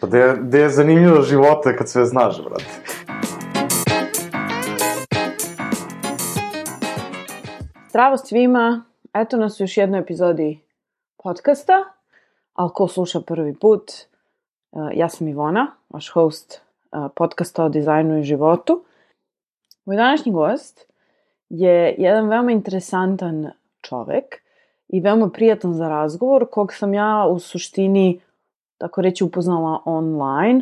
Pa gde je zanimljivo života kad sve znaš, brate. Zdravo svima, eto nas u još jednoj epizodi podcasta, ali ko sluša prvi put, ja sam Ivona, vaš host podcasta o dizajnu i životu. Moj današnji gost je jedan veoma interesantan čovek i veoma prijatan za razgovor, kog sam ja u suštini, tako reći, upoznala online.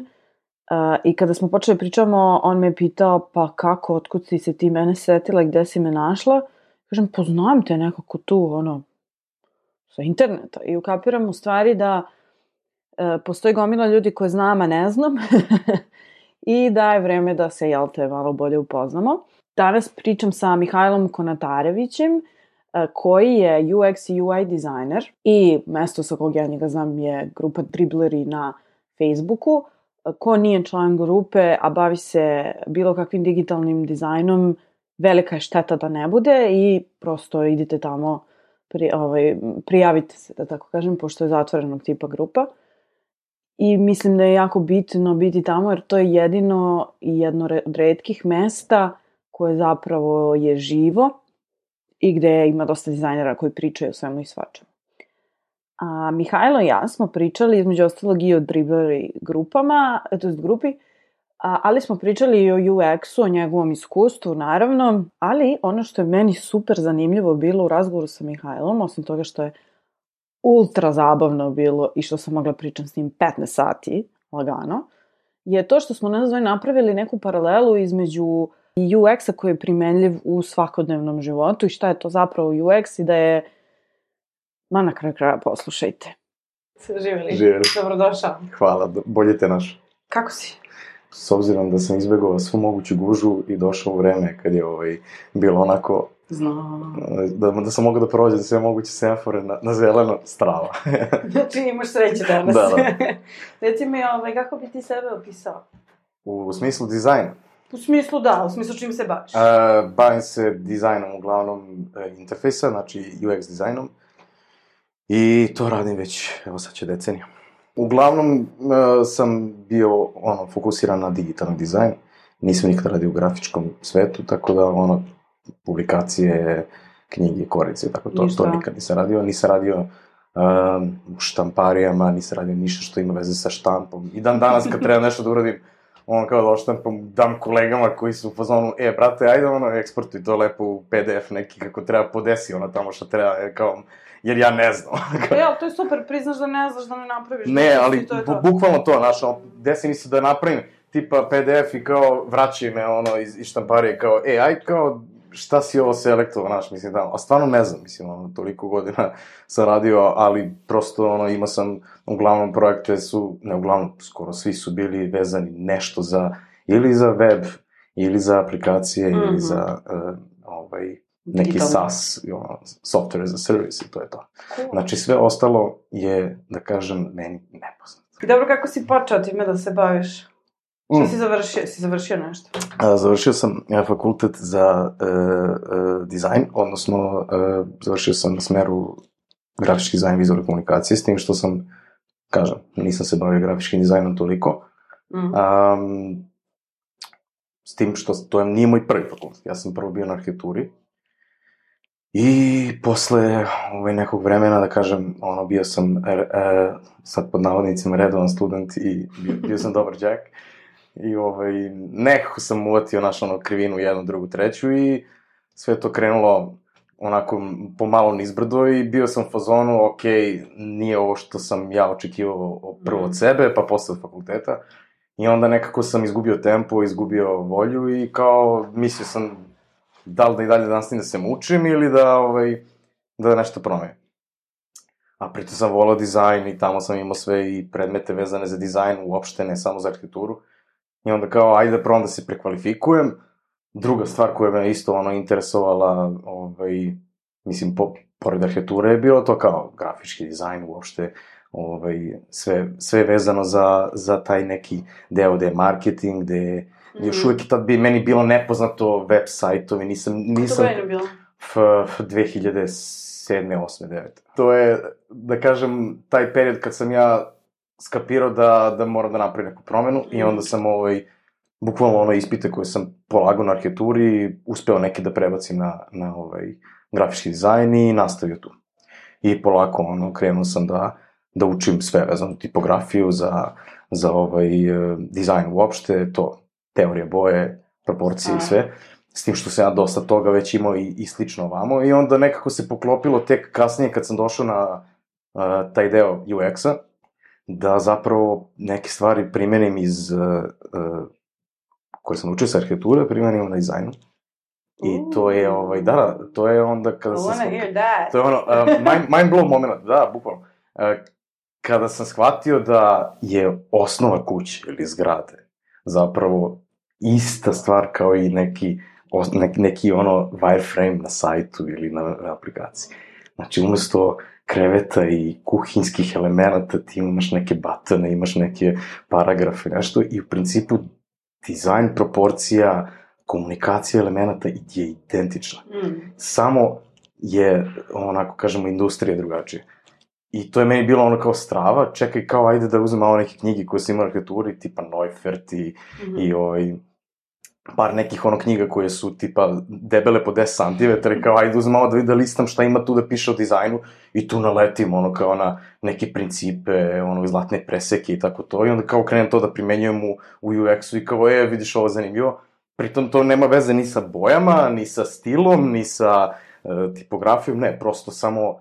I kada smo počeli pričamo, on me pitao, pa kako, otkud si se ti mene setila, gde si me našla? Kažem, poznajem te nekako tu, sa interneta. I ukapiram u stvari da postoji gomila ljudi koje znam, a ne znam. I da je vreme da se, malo bolje upoznamo. Danas pričam sa Mihajlom Konatarevićem, koji je UX i UI dizajner. I mesto sa kog ja njega znam je grupa Dribbleri na Facebooku. Ko nije član grupe, a bavi se bilo kakvim digitalnim dizajnom, velika je šteta da ne bude i prosto idite tamo, prijavite se, da tako kažem, pošto je zatvorenog tipa grupa. I mislim da je jako bitno biti tamo, jer to je jedino i jedno od retkih mesta koje zapravo je živo i gde ima dosta dizajnera koji pričaju o svemu i svačemu. A Mihajlo i ja smo pričali između ostalog i o Dribbleri grupama, grupi, ali smo pričali i o UX-u, o njegovom iskustvu, naravno, ali ono što je meni super zanimljivo bilo u razgovoru sa Mihajlom, osim toga što je ultra zabavno bilo i što sam mogla pričam s njim 15 sati, lagano, je to što smo napravili neku paralelu između UX-a koji je primenljiv u svakodnevnom životu i šta je to zapravo UX i da je, na kraju kraja poslušajte. Živjeli. Dobrodošao. Hvala, bolje te naš. Kako si? S obzirom da sam izbegao svu moguću gužu i došao u vreme kad je bilo onako... Znam. Da sam mogao da prođem sve moguće semafore na zeleno, strava. Znači imaš sreće danas. Da. Reci mi, kako bi ti sebe opisao? U smislu dizajna? U smislu da, u smislu čim se baviš. Bavim se dizajnom, uglavnom interfejsa, znači UX dizajnom. I to radim već, evo sad će decenija. Uglavnom sam bio fokusiran na digitalni dizajn. Nisam nikada radio u grafičkom svetu, tako da publikacije, knjige, korice, tako to nikad nisam radio. Nisam radio u štamparijama, nisam radio ništa što ima veze sa štampom. I dan danas kad treba nešto da uradim, kao da oštampam, dam kolegama koji su u fazonu, brate, ajde eksportuj to lepo u PDF neki kako treba, podesi tamo što treba, kao... Jer ja ne znam. Ali to je super, priznaš da ne znaš da ne napraviš. Ne, ali bukvalno to, desi mi se da napravim tipa PDF i kao vraćaj me iz štamparije, kao, aj kao, šta si ovo selektovao, mislim da, a stvarno ne znam, mislim, toliko godina sam radio, ali prosto, imao sam, uglavnom projekte su, ne uglavnom, skoro svi su bili vezani nešto ili za web, ili za aplikacije, ili za, neki SaaS, software as a service i to je to. Cool. Znači, sve ostalo je, da kažem, meni nepoznato. I dobro, kako si počeo time da se baviš? Što si završio? Si završio nešto? Završio sam fakultet za dizajn, odnosno završio sam na smeru grafički dizajn i vizualne komunikacije, s tim što sam, nisam se bavio grafičkim dizajnom toliko. S tim što to nije moj prvi fakultet. Ja sam prvo bio na arhitekturi. I posle nekog vremena, da kažem, bio sam, sad pod navodnicima, redovan student i bio sam dobar đak. I nekako sam uvatio krivinu jednu, drugu, treću i sve to krenulo onako pomalo nizbrdo i bio sam u fazonu, nije ovo što sam ja očekivao prvo od sebe, pa posle od fakulteta. I onda nekako sam izgubio tempo, izgubio volju i kao mislio sam da li da i dalje nastavim da se mučim ili da nešto promenim. A pritom sam volao dizajn i tamo sam imao sve i predmete vezane za dizajn, uopšte ne samo za arhitekturu. I onda kao, ajde da probam da se prekvalifikujem. Druga stvar koja me isto interesovala, mislim, pored arhitekture je bilo to kao grafički dizajn uopšte, sve vezano za taj neki deo gde je marketing, gde još uvijek tad bi meni bilo nepoznato web sajtovi, nisam... Što je bilo? 2007. 2008. 2009. To je, da kažem, taj period kad sam ja skapirao da moram da napravim neku promenu i onda sam bukvalno ispite koje sam polagao na arhitekturi, uspeo neke da prebacim na grafički dizajn i nastavio tu. I polako, krenuo sam da učim sve vezano, tipografiju za dizajn uopšte, to, teorija boje, proporcije i sve, s tim što sam ja dosta toga već imao i slično ovamo, i onda nekako se poklopilo tek kasnije kad sam došao na taj deo UX-a, da zapravo neke stvari primenim iz koje sam učio sa arhitekture, primenim na dizajnu. I to je, to je onda kada sam... I wanna hear that. To je mind blow moment, da, bukvalno. Kada sam shvatio da je osnova kuće ili zgrade zapravo ista stvar kao i neki wireframe na sajtu ili na aplikaciji. Znači, umesto kreveta i kuhinskih elemenata ti imaš neke batone, imaš neke paragrafe, nešto, i u principu dizajn, proporcija, komunikacija elemenata je identična. Samo je, onako kažemo, industrija drugačija. I to je meni bilo kao strava, čekaj, kao ajde da uzem malo neke knjige koje sam imao u arhitekturi, tipa Neufert i par nekih knjiga koje su tipa debele po 10 cm, kao ajde uzem malo da listam šta ima tu da piše o dizajnu i tu naletim kao na neke principe, zlatne preseke i tako to, i onda kao krenem to da primenjujem u UX-u i kao vidiš ovo zanimljivo, pritom to nema veze ni sa bojama, ni sa stilom, ni sa tipografijom, ne, prosto samo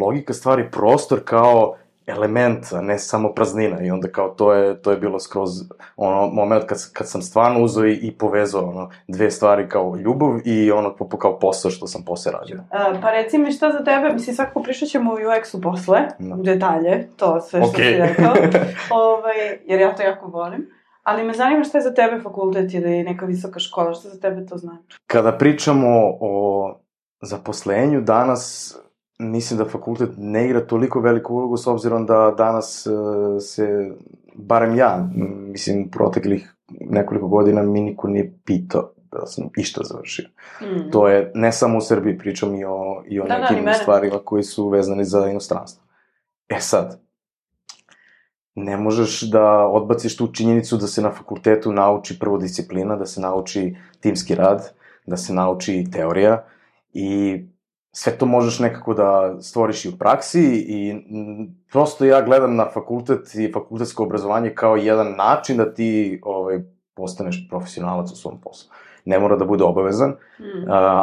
logika stvari, prostor kao element, a ne samo praznina, i onda kao to je bilo skroz moment kad sam stvarno uzeo i povezao dve stvari kao ljubav i kao posao što sam posle radio. Pa reci mi šta za tebe, mislim svakako prišat ćemo u UX-u posle, u detalje, to sve što si rekao, jer ja to jako volim, ali me zanima šta je za tebe fakultet ili neka visoka škola, šta za tebe to znači? Kada pričamo o zaposlenju danas, mislim da fakultet ne igra toliko veliku ulogu, s obzirom da danas se, barem ja, mislim, u proteklih nekoliko godina mi niko nije pitao da sam išta završio. To je, ne samo u Srbiji, pričam i o nekim stvarima koji su vezani za inostranstvo. E sad, ne možeš da odbaciš tu činjenicu da se na fakultetu nauči prvo disciplina, da se nauči timski rad, da se nauči teorija, i sve to možeš nekako da stvoriš i u praksi, i prosto ja gledam na fakultet i fakultetsko obrazovanje kao jedan način da ti postaneš profesionalac u svom poslu. Ne mora da bude obavezan,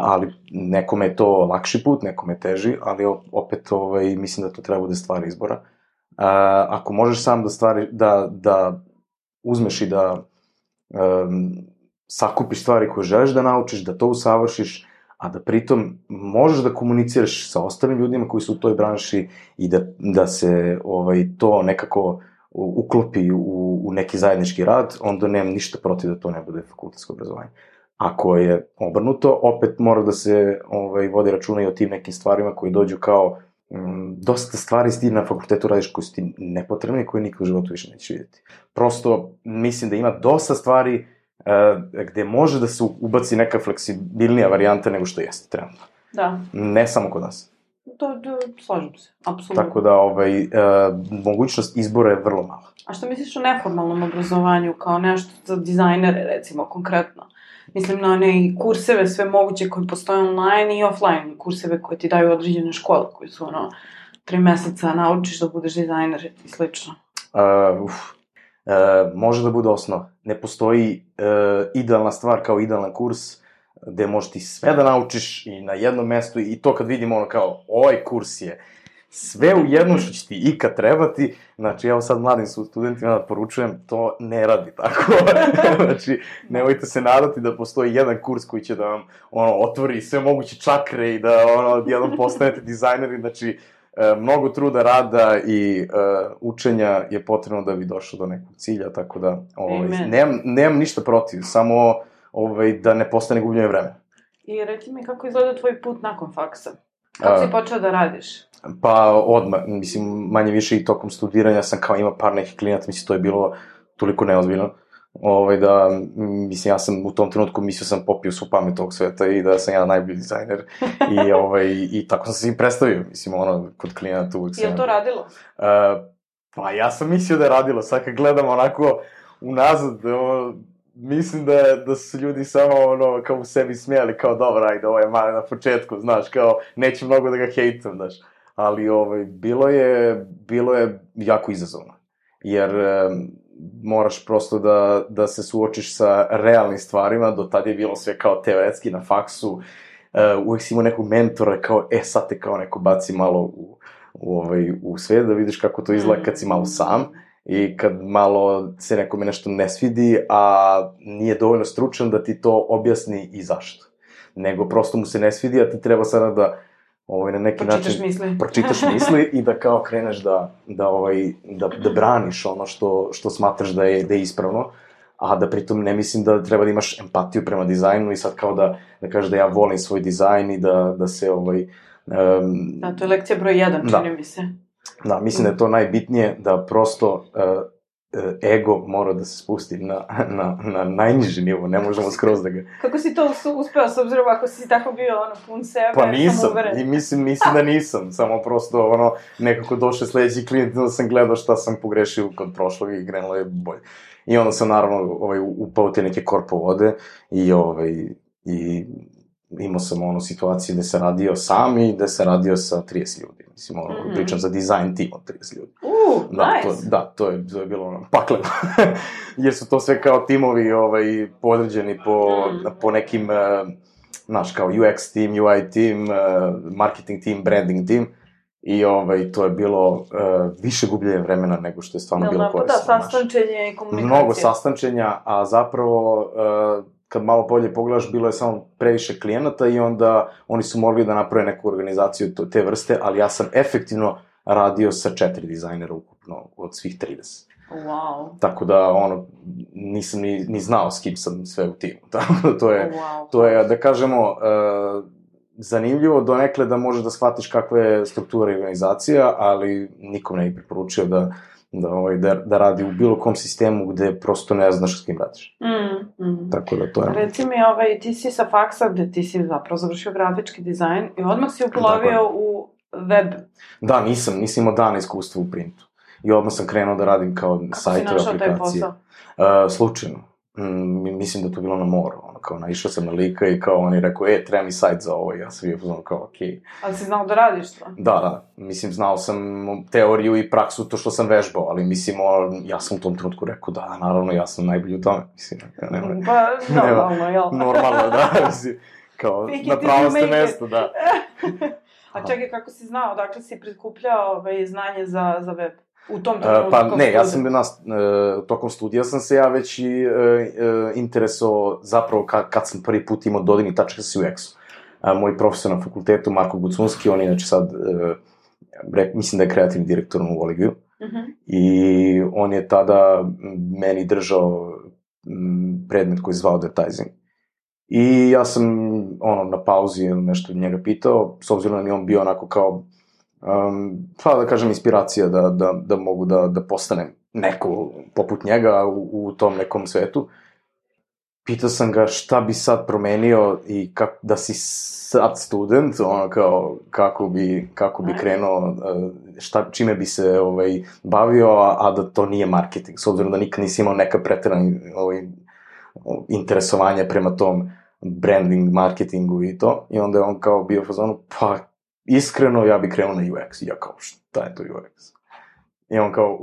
ali nekome je to lakši put, nekome je teži, ali opet mislim da to treba bude stvar izbora. Ako možeš sam da uzmeš i da sakupiš stvari koje želiš da naučiš, da to usavršiš, a da pritom možeš da komuniciraš sa ostalim ljudima koji su u toj branši i da se to nekako uklopi u neki zajednički rad, onda nemam ništa protiv da to ne bude fakultetsko obrazovanje. Ako je obrnuto, opet mora da se vodi računa i o tim nekim stvarima koji dođu kao dosta stvari ti na fakultetu radiš koji su ti nepotrebni i koje nikad u životu više nećeš vidjeti. Prosto mislim da ima dosta stvari gde može da se ubaci neka fleksibilnija varijanta nego što jeste trenutno. Da. Ne samo kod nas. Slažem se, apsolutno. Tako da, mogućnost izbora je vrlo mala. A što misliš o neformalnom obrazovanju, kao nešto za dizajnere, recimo, konkretno? Mislim na one kurseve sve moguće koji postoje online i offline, kurseve koje ti daju određene škole, koji su 3 meseca naučiš da budeš dizajner i slično. Može da bude osnova. Ne postoji idealna stvar kao idealan kurs gde možeš ti sve da naučiš i na jednom mestu, i to kad vidimo kao ovaj kurs je sve u jednom što će ti ikad trebati. Znači, evo sad mladim studentima da poručujem, to ne radi tako. Znači, nemojte se nadati da postoji jedan kurs koji će da vam otvori sve moguće čakre i da jednom postanete dizajneri. Znači, mnogo truda, rada i učenja je potrebno da bi došao do nekog cilja, tako da nemam ništa protiv, samo da ne postane gubljenje vremena. I reci mi kako izgleda tvoj put nakon faksa? Kako si počeo da radiš? Pa odmah, mislim, manje više i tokom studiranja sam kao imao par nekih klijenata, mislim, to je bilo toliko neozbiljno, da, mislim, ja sam u tom trenutku mislio sam popio svu pamet ovog sveta i da sam ja najbolji dizajner i tako sam se im predstavio, mislim, kod klijenata uvek sam... Je li to radilo? Pa ja sam mislio da je radilo, sad kad gledam onako unazad, mislim da su ljudi samo kao u sebi smijali, kao dobro, ajde, ovo je malo na početku, znaš, kao neću mnogo da ga hejtam, znaš. Ali bilo je jako izazovno, jer moraš prosto da se suočiš sa realnim stvarima, do tad je bilo sve kao teoretski na faksu, uvek si imao nekog mentora, kao, sad te kao neko baci malo u svijet, da vidiš kako to izgleda kad si malo sam, i kad malo se nekome nešto ne svidi, a nije dovoljno stručan da ti to objasni i zašto. Nego prosto mu se ne svidi, a ti treba sada da na neki način pročitaš misli i da kao kreneš da braniš ono što smatraš da je ispravno, a da pritom ne mislim da treba da imaš empatiju prema dizajnu i sad kao da kažeš da ja volim svoj dizajn i da se Da, to je lekcija broj 1, čini mi se. Da, mislim da je to najbitnije, da prosto ego mora da se spusti na najniži nivo, ne možemo skroz da ga... Kako si to uspeo, s obzirom ako si tako bio, pun sebe, pa nisam, i mislim da nisam, samo prosto, nekako došao sledeći klijent, da sam gledao šta sam pogrešio kod prošlog i krenulo je bolje. I onda sam, naravno, upao te neke korpovode i imao sam situaciju gde se radio sam i gde se radio sa 30 ljudi. Mislim, pričam za dizajn tim od 30 ljudi. Nice! To je bilo pakleno. Jer su to sve kao timovi podređeni po nekim, znaš, kao UX team, UI team, marketing team, branding team. I to je bilo više gubljenje vremena nego što je stvarno bilo korisno. Da, sastančenje i komunikacije. Mnogo sastančenja, a zapravo... kad malo bolje pogledaš, bilo je samo previše klijenata i onda oni su mogli da naprave neku organizaciju te vrste, ali ja sam efektivno radio sa 4 dizajnera ukupno od svih 30. Wow. Tako da, nisam ni znao s kim sam sve u timu. Tako da to je, da kažemo, zanimljivo donekle da možeš da shvatiš kakva je struktura i organizacija, ali nikom ne bih preporučio da radi u bilo kom sistemu gde prosto ne znaš s kim radiš. Tako da to je... Reci mi, ti si sa faksa gde ti si zapravo završio grafički dizajn i odmah si uplovio u web. Da, nisam imao dana iskustva u printu. I odmah sam krenuo da radim kao sajtove, aplikacije. Kako si našao taj posao? Slučajno. Mislim da to bilo na moru. Kao naišao sam na lika i kao on je rekao, treba mi sajt za ovo. I ja sam bio pozvano kao, okej. Ali si znao da radiš to? Da. Mislim, znao sam teoriju i praksu, to što sam vežbao, ali mislim, ja sam u tom trenutku rekao, da, naravno, ja sam najbolji u tome. Mislim, normalno, jel? Normalno, da. Mislim, kao, na pravo ste mesto, da. A čekaj, kako si znao, dakle si prikupljao znanje za web? U tom trenutku? Pa ne, ja sam tokom studija sam se ja već i interesovao zapravo kad sam prvi put imao dodirnih tačaka sa UX-u. Moj profesor na fakultetu, Marko Gucunski, on je inače sad, mislim da je kreativni direktor u Oligiju, i on je tada meni držao predmet koji je zvao advertising. I ja sam, na pauzi nešto njega pitao, s obzirom da mi on bio onako kao, da kažem, inspiracija da mogu da postanem neko poput njega u tom nekom svetu. Pitao sam ga šta bi sad promenio i da si sad student, kako bi krenuo, čime bi se bavio, a da to nije marketing, s obzirom da nikad nisi imao neka preterana interesovanja prema tom branding, marketingu i to. I onda je on kao bio fazonu, pa iskreno, ja bih krenuo na UX. I ja kao, šta je to UX? I on kao,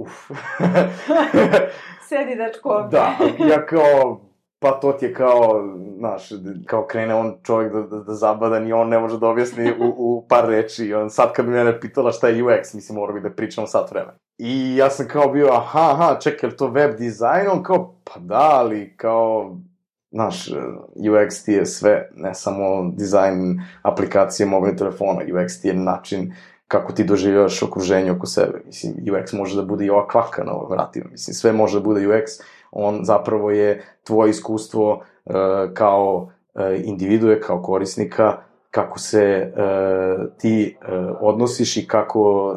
Sedi, dečko, ovdje. Da, ja kao, pa to ti je kao, znaš, kao krene on čovjek da zabadan i on ne može da objasni u par reči. I on sad kad bi mene pitala šta je UX, mislim, morao bi da pričam sat vremena. I ja sam kao bio, čekaj, je li to web dizajn? On kao, pa da, ali kao... Znaš, UX ti je sve, ne samo dizajn aplikacije mobilnih telefona, UX ti je način kako ti doživljavaš okruženje oko sebe. Mislim, UX može da bude i ova kvaka na vratima. Mislim, sve može da bude UX, on zapravo je tvoje iskustvo kao individue, kao korisnika, kako se ti odnosiš i kako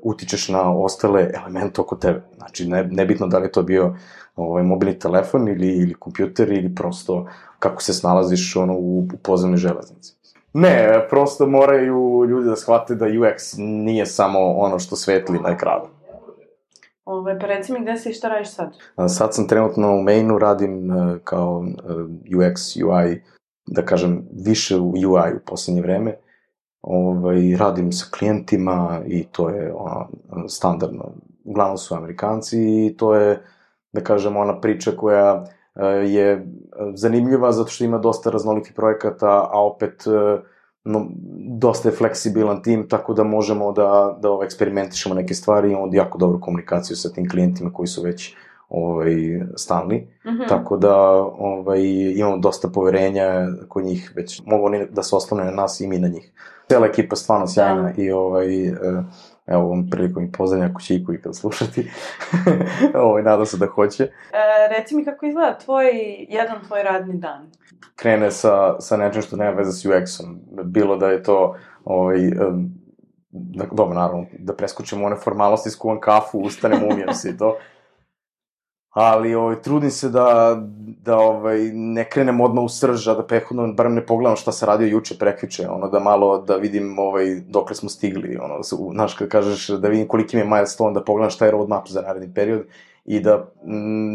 utičeš na ostale elemente oko tebe. Znači, nebitno da li je to bio mobilni telefon ili kompjuter ili prosto kako se snalaziš u podzemnoj železnici. Ne, prosto moraju ljudi da shvate da UX nije samo ono što svetli na ekranu. Pa reci mi gde si i šta radiš sad? Sad sam trenutno u Mainu, radim kao UX, UI, da kažem, više u UI u poslednje vreme. Radim sa klijentima i to je standardno. Uglavnom su Amerikanci i to je, da kažem, ona priča koja je zanimljiva zato što ima dosta raznolikih projekata, a opet dosta je fleksibilan tim, tako da možemo da eksperimentišemo neke stvari i imamo jako dobru komunikaciju sa tim klijentima koji su već stalni, tako da imamo dosta poverenja kod njih, već mogu oni da se oslone na nas i mi na njih. Cijela ekipa je stvarno sjajna i evo ovom prilikom i pozdravljam ako će iko ikada slušati. Nadam se da hoće. Reci mi kako izgleda jedan tvoj radni dan. Krene sa nečem što nema veze s UX-om. Bilo da je to dobro, naravno, da preskočimo one formalnosti, skuvam kafu, ustanem, umijem se i to. Ali trudim se da ne krenem odmah u srž, a da prethodno barem ne pogledam šta se radio juče, prekjuče, da malo da vidim dokle smo stigli, znaš, kad kažeš da vidim koliki mi je milestone, da pogledam šta je roadmap za naredni period i da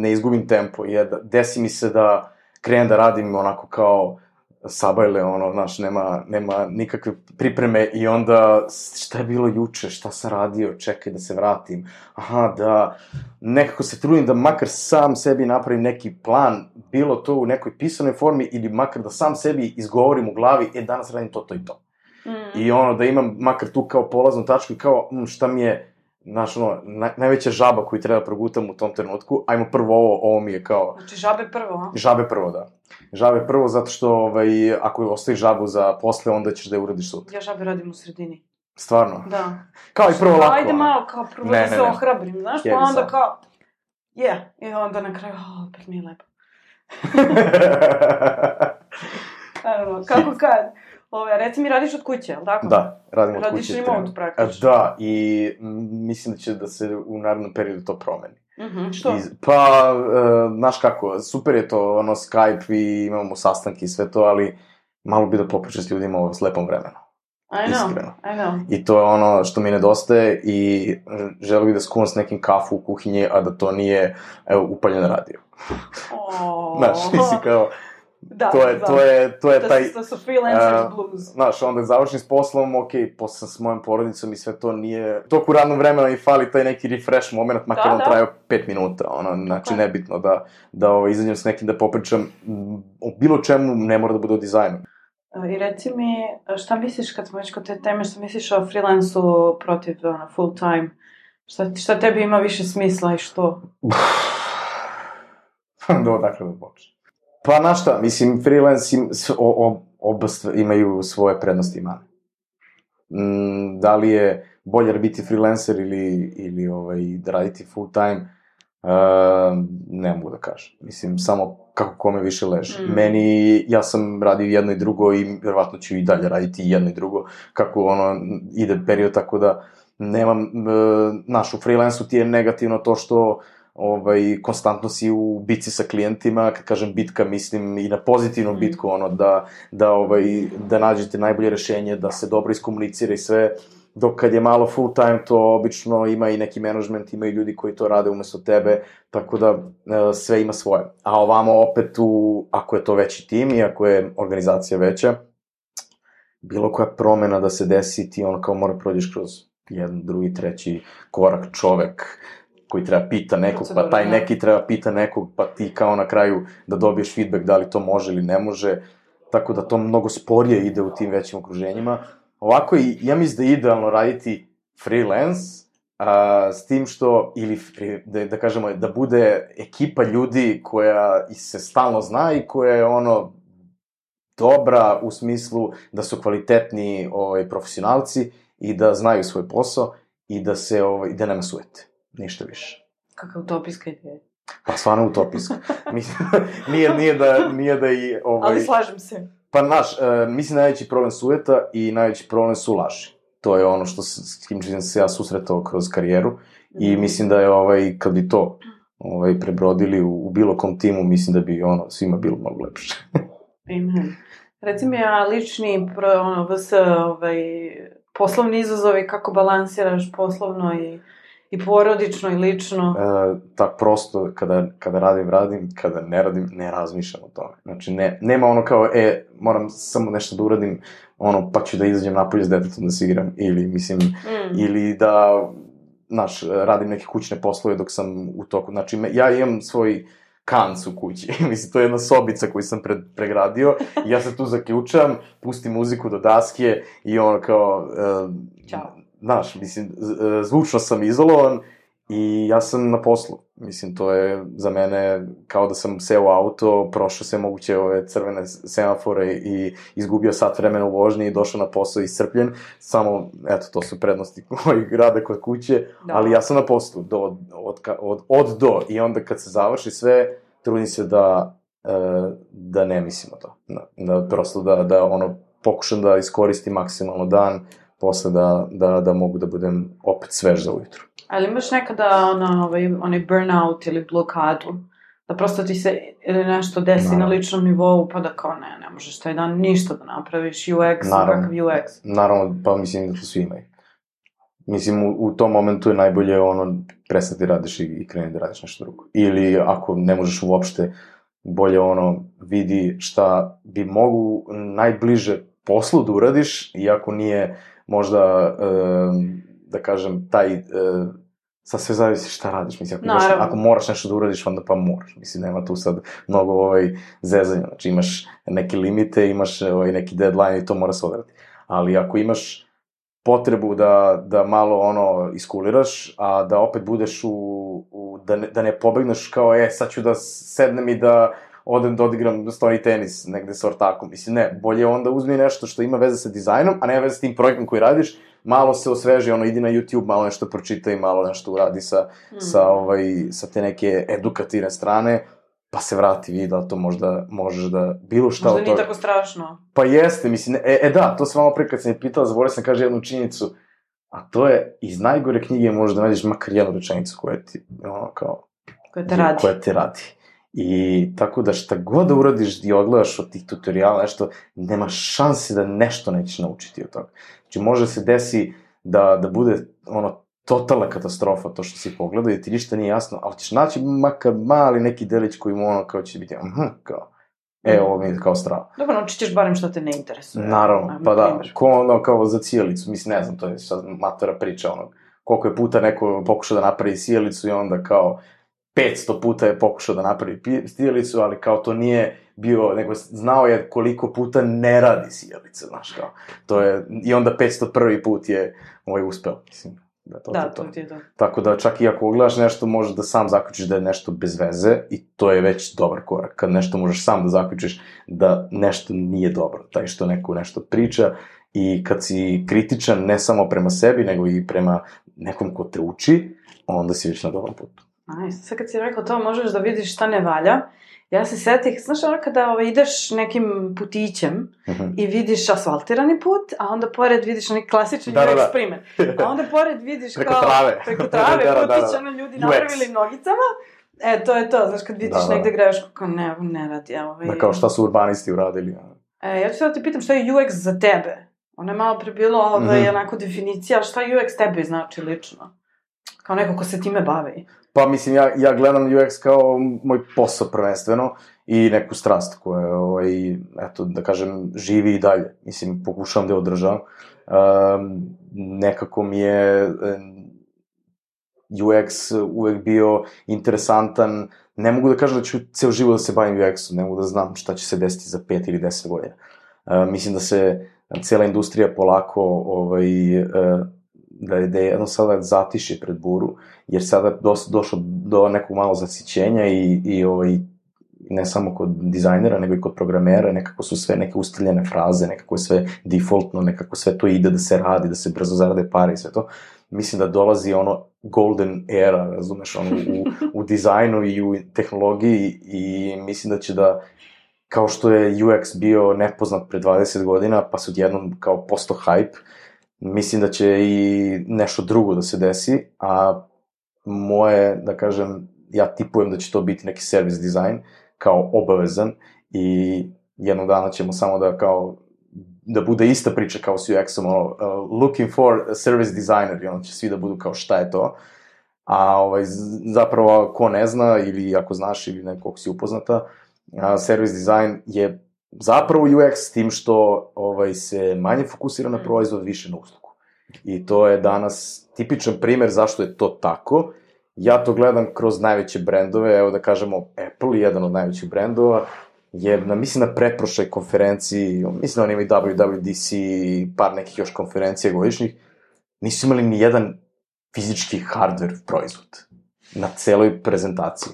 ne izgubim tempo, jer desi mi se da krenem da radim onako kao sabajle, znaš, nema nikakve pripreme i onda šta je bilo juče, šta sam radio, čekaj da se vratim, da nekako se trudim da makar sam sebi napravim neki plan, bilo to u nekoj pisanoj formi ili makar da sam sebi izgovorim u glavi, danas radim to i to. I da imam makar tu kao polaznu tačku i kao šta mi je, znaš, najveća žaba koju treba progutam u tom trenutku, ajmo prvo ovo mi je kao... Znači, žabe prvo, a? Žabe prvo, da. Žabe prvo zato što, ako ostaviš žabu za posle, onda ćeš da je uradiš sutra. Ja žabe radim u sredini. Stvarno? Da. Kao i prvo lako. Ajde malo, kao prvo da se ohrabrim, znaš, pa onda kao... I onda na kraju, opet mi je lepo. Kako kad? Reci mi, radiš od kuće, ali tako? Da, radim od kuće. Radiš remote praktično. Da, i mislim da će da se u narednom periodu to promeni. Što? Pa, znaš kako, super je to, Skype i imamo sastanke i sve to, ali malo bi da popričam s ljudima s lepom vremenu. Iskreno. I know. I to je ono što mi nedostaje i želim da skuvam s nekim kafu u kuhinji, a da to nije, upaljen radio. Znaš, nisi kao... Da, to je taj... To su freelancers blues. Znaš, onda završim s poslom, posle s mojom porodicom i sve to nije... Toku radnog vremena i fali taj neki refresh moment, makar on trajao 5 minuta, znači nebitno da izađem s nekim da popričam o bilo čemu, ne mora da bude o dizajnu. I reci mi, šta misliš kad smo već kod te teme, šta misliš o freelancu protiv full time? Šta tebi ima više smisla i što? Odakle da počne. Pa, znaš šta, mislim, freelance, oba imaju svoje prednosti i mane. Da li je bolje biti freelancer ili da raditi full time, ne mogu da kažem. Mislim, samo kako kome više leže. Ja sam radio jedno i drugo i verovatno ću i dalje raditi jedno i drugo, kako ide period, tako da nemam, u freelancu ti je negativno to što konstantno si u bitci sa klijentima, kad kažem bitka, mislim i na pozitivnu bitku, da nađete najbolje rešenje, da se dobro iskomunicira i sve, dok kad je malo full time, to obično ima i neki management, ima i ljudi koji to rade umesto tebe, tako da sve ima svoje. A ovamo opet, ako je to veći tim i ako je organizacija veća, bilo koja promena da se desi, ti kao mora prođeš kroz jedan, drugi, treći korak, čovek koji treba pita nekog, pa taj neki treba pita nekog, pa ti kao na kraju da dobiješ feedback da li to može ili ne može, tako da to mnogo sporije ide u tim većim okruženjima. Ovako, ja mislim da je idealno raditi freelance, s tim što, ili da kažemo, da bude ekipa ljudi koja se stalno zna i koja je dobra u smislu da su kvalitetni profesionalci i da znaju svoj posao i da nema sujete. Ništa više. Kakva utopijska ideja. Pa stvarno utopijska. Nije da i... Ali slažem se. Pa mislim najveći problem sujeta i najveći problem su laži. To je ono s kim sam se ja susretao kroz karijeru i mislim da je kad bi to prebrodili u bilo kom timu, mislim da bi svima bilo mnogo lepše. Amen. Reci mi, lični poslovni izazovi, kako balansiraš poslovno I porodično i lično. Tak prosto, kada radim, kada ne radim, ne razmišljam o tome. Znači, nema ono kao, moram samo nešto da uradim, pa ću da izađem napolje s detetom da se igram, ili, mislim, ili da, znaš, radim neke kućne poslove dok sam u toku. Znači, ja imam svoj kanc u kući, mislim, to je jedna sobica koju sam pregradio, i ja se tu zaključam, pustim muziku do daske i ono kao, Ćao. Znaš, mislim, zvučno sam izolovan i ja sam na poslu. Mislim, to je za mene kao da sam seo u auto, prošao sve moguće ove crvene semafore i izgubio sat vremena u vožnji i došao na posao iscrpljen. Samo, eto, to su prednosti mojeg rada kod kuće, ali ja sam na poslu od do. I onda kad se završi sve, trudim se da ne mislim o to. Da prosto da ono, pokušam da iskoristim maksimalno dan, posle da mogu da budem opet svež za ujutru. Ali imaš nekada onaj burnout ili blokadu, da prosto ti se nešto desi na ličnom nivou, pa da kao ne možeš taj dan ništa da napraviš, UX, kakav UX? Naravno, pa mislim da to svi imaju. Mislim, u tom momentu je najbolje prestati radiš i kreni da radiš nešto drugo. Ili ako ne možeš uopšte, bolje vidi šta bi mogu najbliže poslu da uradiš, iako nije možda, da kažem, sad sve zavisi šta radiš, mislim, ako moraš nešto da uradiš, onda pa moraš, mislim, nema tu sad mnogo zezanja, znači imaš neke limite, imaš neki deadline i to mora se odrati, ali ako imaš potrebu da malo iskuliraš, a da opet budeš da ne pobegneš kao, sad ću da sednem i da odem da odigram stoni tenis negde sa ortakom. Mislim, ne, bolje onda uzmi nešto što ima veze sa dizajnom, a nema veze s tim projektom koji radiš, malo se osveži, idi na YouTube, malo nešto pročitaj, malo nešto uradi sa te neke edukativne strane, pa se vrati, vidi da to možda možeš da bilo šta možda nije tako strašno. Pa jeste, mislim, da, to sam malo pre kad sam je pitala, zaboravio sam kaže jednu činjenicu, a to je, iz najgore knjige možeš da nađeš makar jednu rečenicu koja ti, koja te radi. I tako da šta god da uradiš i odgledaš od tih tutoriala, nešto, nema šanse da nešto nećeš naučiti od toga. Znači, može se desi da bude, totalna katastrofa to što si pogledao i ti ništa nije jasno, ali ćeš naći makar mali neki delić koji mu kao će biti, kao, ovo mi je kao strava. Dobro, naučit ćeš barem što te ne interesuje. Naravno, pa da, kao za sjelicu, mislim, ne znam, to je sad matora priča, koliko je puta neko pokušao da napravi sjelicu i onda kao 500 puta je pokušao da napravi sjelicu, ali kao to nije bio, nego znao je koliko puta ne radi sjelica, znaš, kao, to je, i onda 501. put je uspeo, mislim. To ti je to. Tako da čak i ako gledaš nešto, možeš da sam zaključiš da je nešto bez veze i to je već dobar korak. Kad nešto možeš sam da zaključiš da nešto nije dobro, taj što neko nešto priča i kad si kritičan ne samo prema sebi, nego i prema nekom ko te uči, onda si već na dobrom putu. Sad kad si rekao to, možeš da vidiš šta ne valja. Ja se setih, znaš kada ideš nekim putićem i vidiš asfaltirani put, a onda pored vidiš neki klasični UX primer. A onda pored vidiš preko trave putić, ljudi napravili nogicama. To je to, znaš, kad vidiš negde grešku, kao ne radi. Kao šta su urbanisti uradili. Ja ću sad ti pitam šta je UX za tebe. Ono je malo prebilo onako definicija, šta UX tebi znači lično? Kao neko ko se time bavi. Pa mislim, ja gledam UX kao moj posao prvenstveno i neku strast koja, eto, da kažem, živi i dalje. Mislim, pokušavam da je održavam. Nekako mi je UX uvek bio interesantan. Ne mogu da kažem da ću ceo život da se bavim UX-om, ne mogu da znam šta će se desiti za 5 ili 10 godina. Mislim da se cijela industrija polako da je jedno sada zatiše pred buru, jer sada došlo do nekog malo zasićenja i ne samo kod dizajnera, nego i kod programera, nekako su sve neke ustaljene fraze, nekako je sve defaultno, nekako sve to ide da se radi, da se brzo zarade pare i sve to. Mislim da dolazi golden era, razumeš, u dizajnu i u tehnologiji i mislim da će da, kao što je UX bio nepoznat pre 20 godina, pa se odjednom kao posto hype, mislim da će i nešto drugo da se desi, a moje, da kažem, ja tipujem da će to biti neki service dizajn, kao obavezan i jednog dana ćemo samo da bude ista priča kao s UX-om, looking for a service designer i onda će svi da budu kao šta je to, A zapravo, ko ne zna, ili ako znaš, ili nekog si upoznata, service design je zapravo UX s tim što se manje fokusira na proizvod, više na uslugu. I to je danas tipičan primer zašto je to tako. Ja to gledam kroz najveće brendove, evo da kažemo Apple, jedan od najvećih brendova, je, mislim, na pretprošloj konferenciji, mislim da oni imaju WWDC, par nekih još konferencija godišnjih, nisu imali ni jedan fizički hardware proizvod na celoj prezentaciji.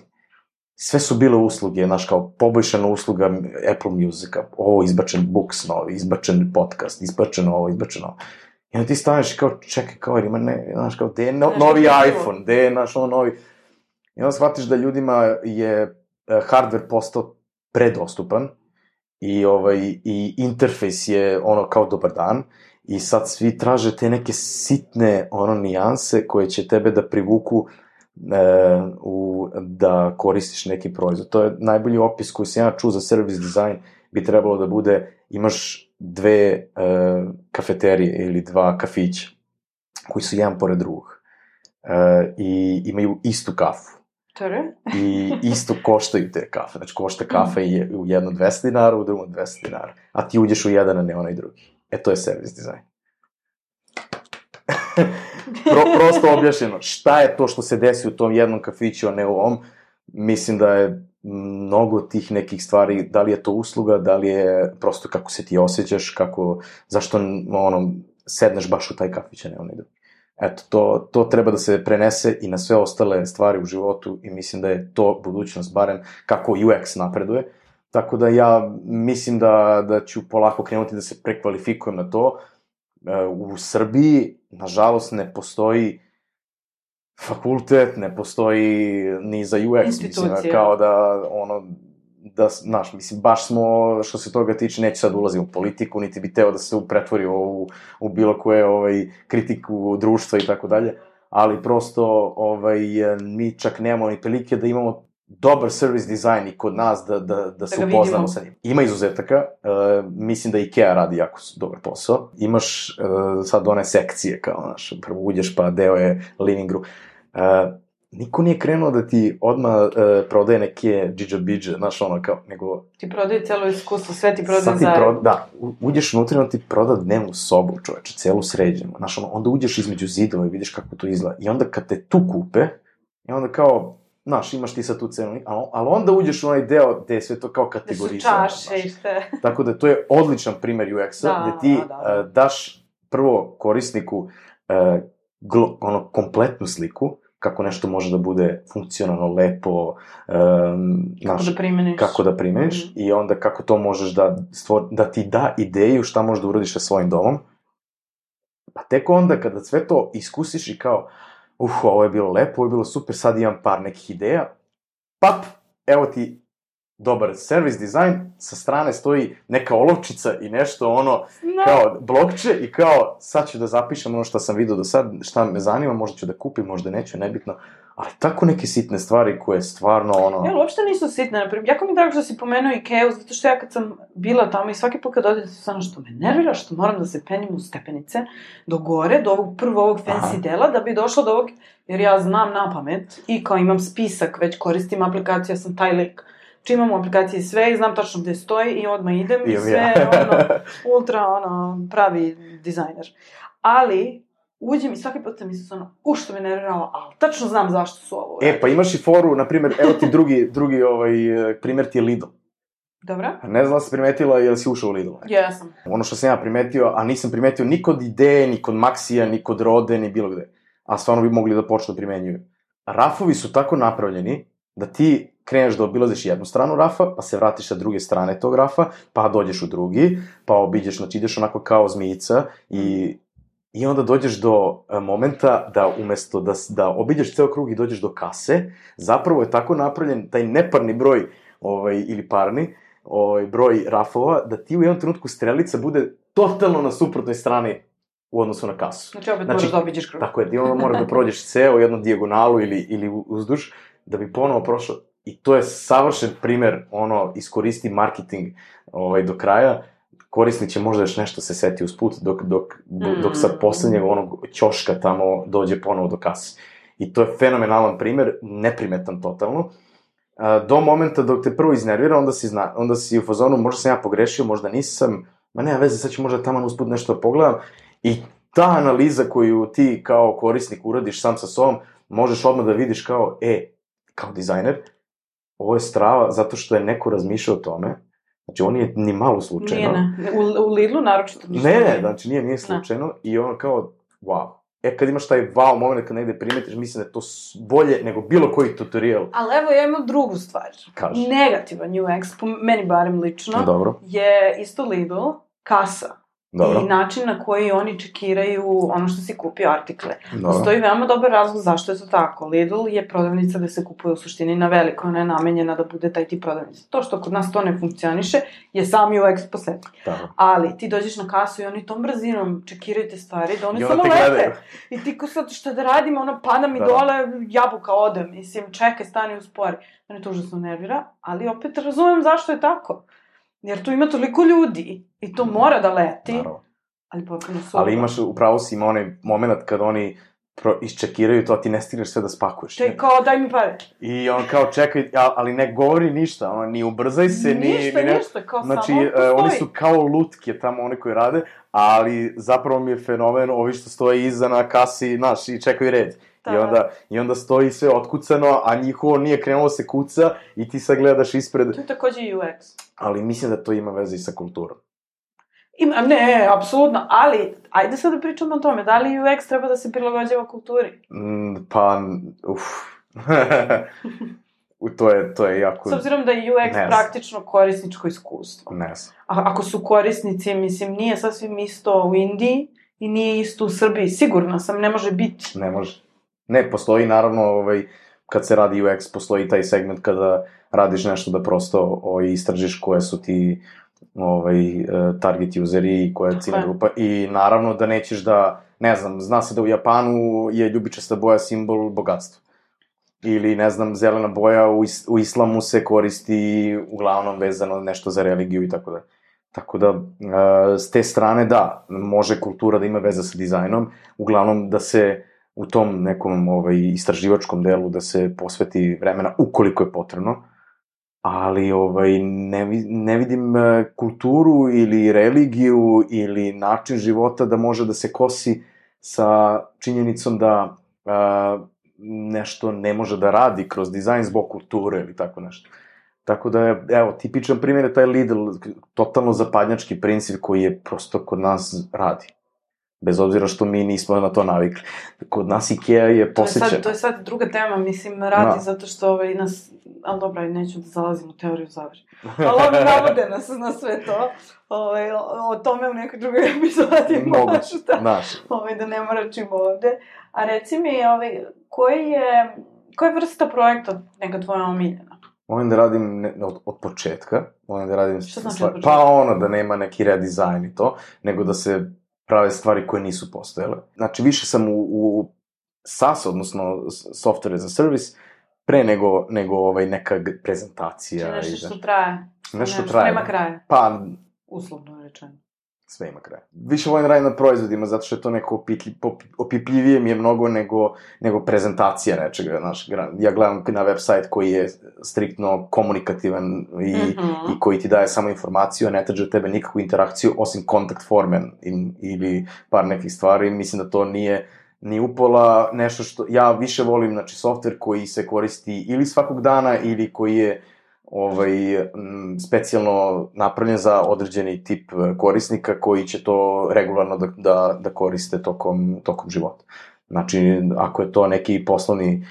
Sve su bile usluge, znaš, kao poboljšana usluga Apple Musica, ovo izbačen Books novi, izbačen podcast, izbačeno ovo, izbačeno ovo. I onda ti staneš i kao, čekaj, kao, ima ne, znaš, kao, gde je novi iPhone, gde je, znaš, ono novi... I onda shvatiš da ljudima je hardware postao predostupan i interfejs je ono kao dobar dan i sad svi traže te neke sitne nijanse koje će tebe da privuku da koristiš neki proizvod. To je najbolji opis koji sam ja čuo za service design, bi trebalo da bude, imaš dve kafeterije ili dva kafića koji su jedan pored drugog i imaju istu kafu. I isto koštaju te kafe. Znači, košta kafa je u jedno 200 dinara, u drugom 200 dinara. A ti uđeš u jedan, a ne onaj drugi. To je service design. Prosto objašnjeno. Šta je to što se desi u tom jednom kafiću, a ne u ovom? Mislim da je mnogo tih nekih stvari, da li je to usluga, da li je prosto kako se ti osjećaš, zašto sedneš baš u taj kafić, a ne onaj drugi. Eto, to treba da se prenese i na sve ostale stvari u životu i mislim da je to budućnost, barem kako UX napreduje. Tako da ja mislim da ću polako krenuti da se prekvalifikujem na to. U Srbiji, nažalost, ne postoji fakultet, ne postoji ni za UX. Institucija. Mislim, kao znaš, mislim, baš smo, što se toga tiče, neću sad ulazim u politiku, niti bi teo da se pretvori u bilo koje kritiku društva i tako dalje, ali prosto mi čak nemamo ni prilike da imamo dobar service design i kod nas da se upoznamo sa njim. Ima izuzetaka, mislim da IKEA radi jako dobar posao. Imaš sad one sekcije, kao, znaš, prvo uđeš pa deo je living room. Niko nije krenuo da ti odmah prodaje neke džidža-bidže, znaš, kao, nego... Ti prodaje celo iskustvo, sve ti prodaje zajedno. Da, uđeš unutra i on ti proda dnevnu sobu, čoveče, celu sređenu, znaš, onda uđeš između zidova i vidiš kako to izgleda. I onda kad te tu kupe, i onda kao, znaš, imaš ti sad tu cenu, ali onda uđeš u onaj deo gde je sve to kao kategorizano. Gde su čaše i sve. Tako da to je odličan primer UX-a, gde ti daš prvo korisniku kompletnu sliku, kako nešto može da bude funkcionalno, lepo, kako da primeniš, i onda kako to možeš da ti da ideju šta možeš da uradiš sa svojim domom. Pa tek onda kada sve to iskusiš i kao, ovo je bilo lepo, ovo je bilo super, sad imam par nekih ideja, evo ti dobar service design, sa strane stoji neka olovčica i nešto kao blokče i kao sad ću da zapišem ono što sam vidio do sad, šta me zanima, možda ću da kupim, možda neću, nebitno, ali tako neke sitne stvari koje stvarno uopšte nisu sitne, naprimjer, jako mi je drago što si pomenuo IKEA, zato što ja kad sam bila tamo i svaki put kad odete stvarno što me nervira, što moram da se penjem u stepenice do gore, do ovog fancy dela, da bi došla do ovog, jer ja znam na pamet i kao imam spisak, već koristim aplikaciju, ja sam taj lik. Čim imam u aplikaciji sve i znam tačno gde stoji i odmah idem i sve, ultra, pravi dizajner. Ali, uđem i svaki put sam mislila, što me nerviralo, ali tačno znam zašto su ovo uradili. Pa imaš i foru, na primjer, evo ti drugi primjer ti je Lidl. Dobro. Ne znam da si primetila, jel si ušao u Lidl? Jesam. Ono što sam ja primetio, a nisam primetio ni kod Ideje, ni kod Maxija, ni kod Rode, ni bilo gde. A stvarno bi mogli da počnu da primenjuju. Rafovi su tako napravljeni da ti kreneš da obilaziš jednu stranu rafa, pa se vratiš sa druge strane tog rafa, pa dođeš u drugi, pa obiđeš, znači ideš onako kao zmijica i onda dođeš do momenta da umesto da obiđeš ceo krug i dođeš do kase, zapravo je tako napravljen taj neparni broj ili parni broj rafova, da ti u jednom trenutku strelica bude totalno na suprotnoj strani u odnosu na kasu. Znači opet moraš da obiđeš krug. Tako je, ti onda moraš da prođeš ceo jednu dijagonalu ili uzduž, da bi ponovo prošao. I to je savršen primer, iskoristi marketing do kraja, korisnik će možda još nešto se seti usput, dok sad poslednjeg ćoška tamo dođe ponovo do kase. I to je fenomenalan primer, neprimetan totalno. Do momenta dok te prvo iznervira, onda si u fazonu, možda sam ja pogrešio, možda nisam, ma nema veze, sad ću možda taman usput nešto da pogledam. I ta analiza koju ti kao korisnik uradiš sam sa sobom, možeš odmah da vidiš kao dizajner, ovo je strava zato što je neko razmišljao o tome. Znači, on nije ni malo slučajno. Nije, u Lidlu naročito ništa. Ne, znači nije slučajno. I ono kao, wow. Kad imaš taj wow moment kad negde primetiš, mislim da je to bolje nego bilo koji tutorial. Ali evo, ja imam drugu stvar. Kaži. Negativan UX, po meni barem lično, Dobro. je isto Lidl, kasa. Dobro. I način na koji oni čekiraju ono što si kupio artikle. Dobro. Postoji veoma dobar razlog zašto je to tako. Lidl je prodavnica gde se kupuje u suštini na veliko, ona je namenjena da bude taj tip prodavnica. To što kod nas to ne funkcioniše je sam UX po sebi. Ali ti dođeš na kasu i oni tom brzinom čekiraju te stvari da oni samo lete. I ti ko sad šta da radim, ono pada mi dole, jabuka ode. Mislim, čekaj, stani uspori. Mene to užasno nervira, ali opet razumem zašto je tako. Jer tu ima toliko ljudi i to mora da leti, ali potpuno su... Ali upravo si ima onaj moment kad oni isčekiraju to, a ti ne stigneš sve da spakuješ. Čekaj, kao daj mi pare. I on kao čekaj, ali ne govori ništa, ono, ni ubrzaj se, ništa, kao znači, samo postoji. Oni su kao lutke tamo, oni koji rade, ali zapravo mi je fenomen ovi što stoje iza na kasi, znaš, i čekaju red. I onda stoji sve otkucano, a njihovo nije krenulo se kuca i ti sad gledaš ispred... To je takođe UX. Ali mislim da to ima veze i sa kulturom. Ne, apsolutno, ali ajde sad da pričamo o tome, da li UX treba da se prilagođava kulturi? To je jako... S obzirom da je UX praktično korisničko iskustvo. Ne znam. Ako su korisnici, mislim, nije sasvim isto u Indiji i nije isto u Srbiji, sigurno sam, ne može biti. Ne može. Ne, postoji naravno, kad se radi UX, postoji taj segment kada radiš nešto da prosto istražiš koje su ti target useri i koja je ciljna grupa i naravno da nećeš da, ne znam, zna se da u Japanu je ljubičasta boja simbol bogatstva. Ili, ne znam, zelena boja u islamu se koristi uglavnom vezano nešto za religiju i tako da. Tako da, s te strane, da, može kultura da ima veze sa dizajnom, uglavnom da se u tom nekom istraživačkom delu da se posveti vremena ukoliko je potrebno, ali ne vidim kulturu ili religiju ili način života da može da se kosi sa činjenicom da nešto ne može da radi kroz dizajn zbog kulture ili tako nešto. Tako da, evo, tipičan primjer je taj Lidl, totalno zapadnjački princip koji je prosto kod nas radi. Bez obzira što mi nismo na to navikli. Kod nas Ikea je posjećena. To je sad druga tema, mislim, radi zato što nas... Ali dobro, neću da zalazim u teoriju zavere. Ali oni navode nas na sve to. O tome u nekoj drugoj epizodi moguće, da ne moračimo ovde. A reci mi, koja je vrsta projekta neka tvoja omiljena? Volim da radim od početka. Volim da radim... Što znači od početka? Pa da nema neki redizajn i to, nego da se prave stvari koje nisu postojale. Znači, više sam u SaaS, odnosno Software as a Service, pre nego neka prezentacija. Znači nešto što traje. Nešto traje. Nema kraja. Pa... Uslovno rečeno. Sve ima kraja. Više volim radim na proizvodima, zato što je to neko opipljivije mi je mnogo nego prezentacija nečega. Ja gledam na web sajt koji je striktno komunikativan i koji ti daje samo informaciju, a ne traži od tebe nikakvu interakciju, osim kontakt forme ili par nekih stvari. Mislim da to nije ni upola nešto što... Ja više volim, znači, softver koji se koristi ili svakog dana ili koji je specijalno napravljen za određeni tip korisnika koji će to regularno da koriste tokom života. Znači, ako je to neki poslovni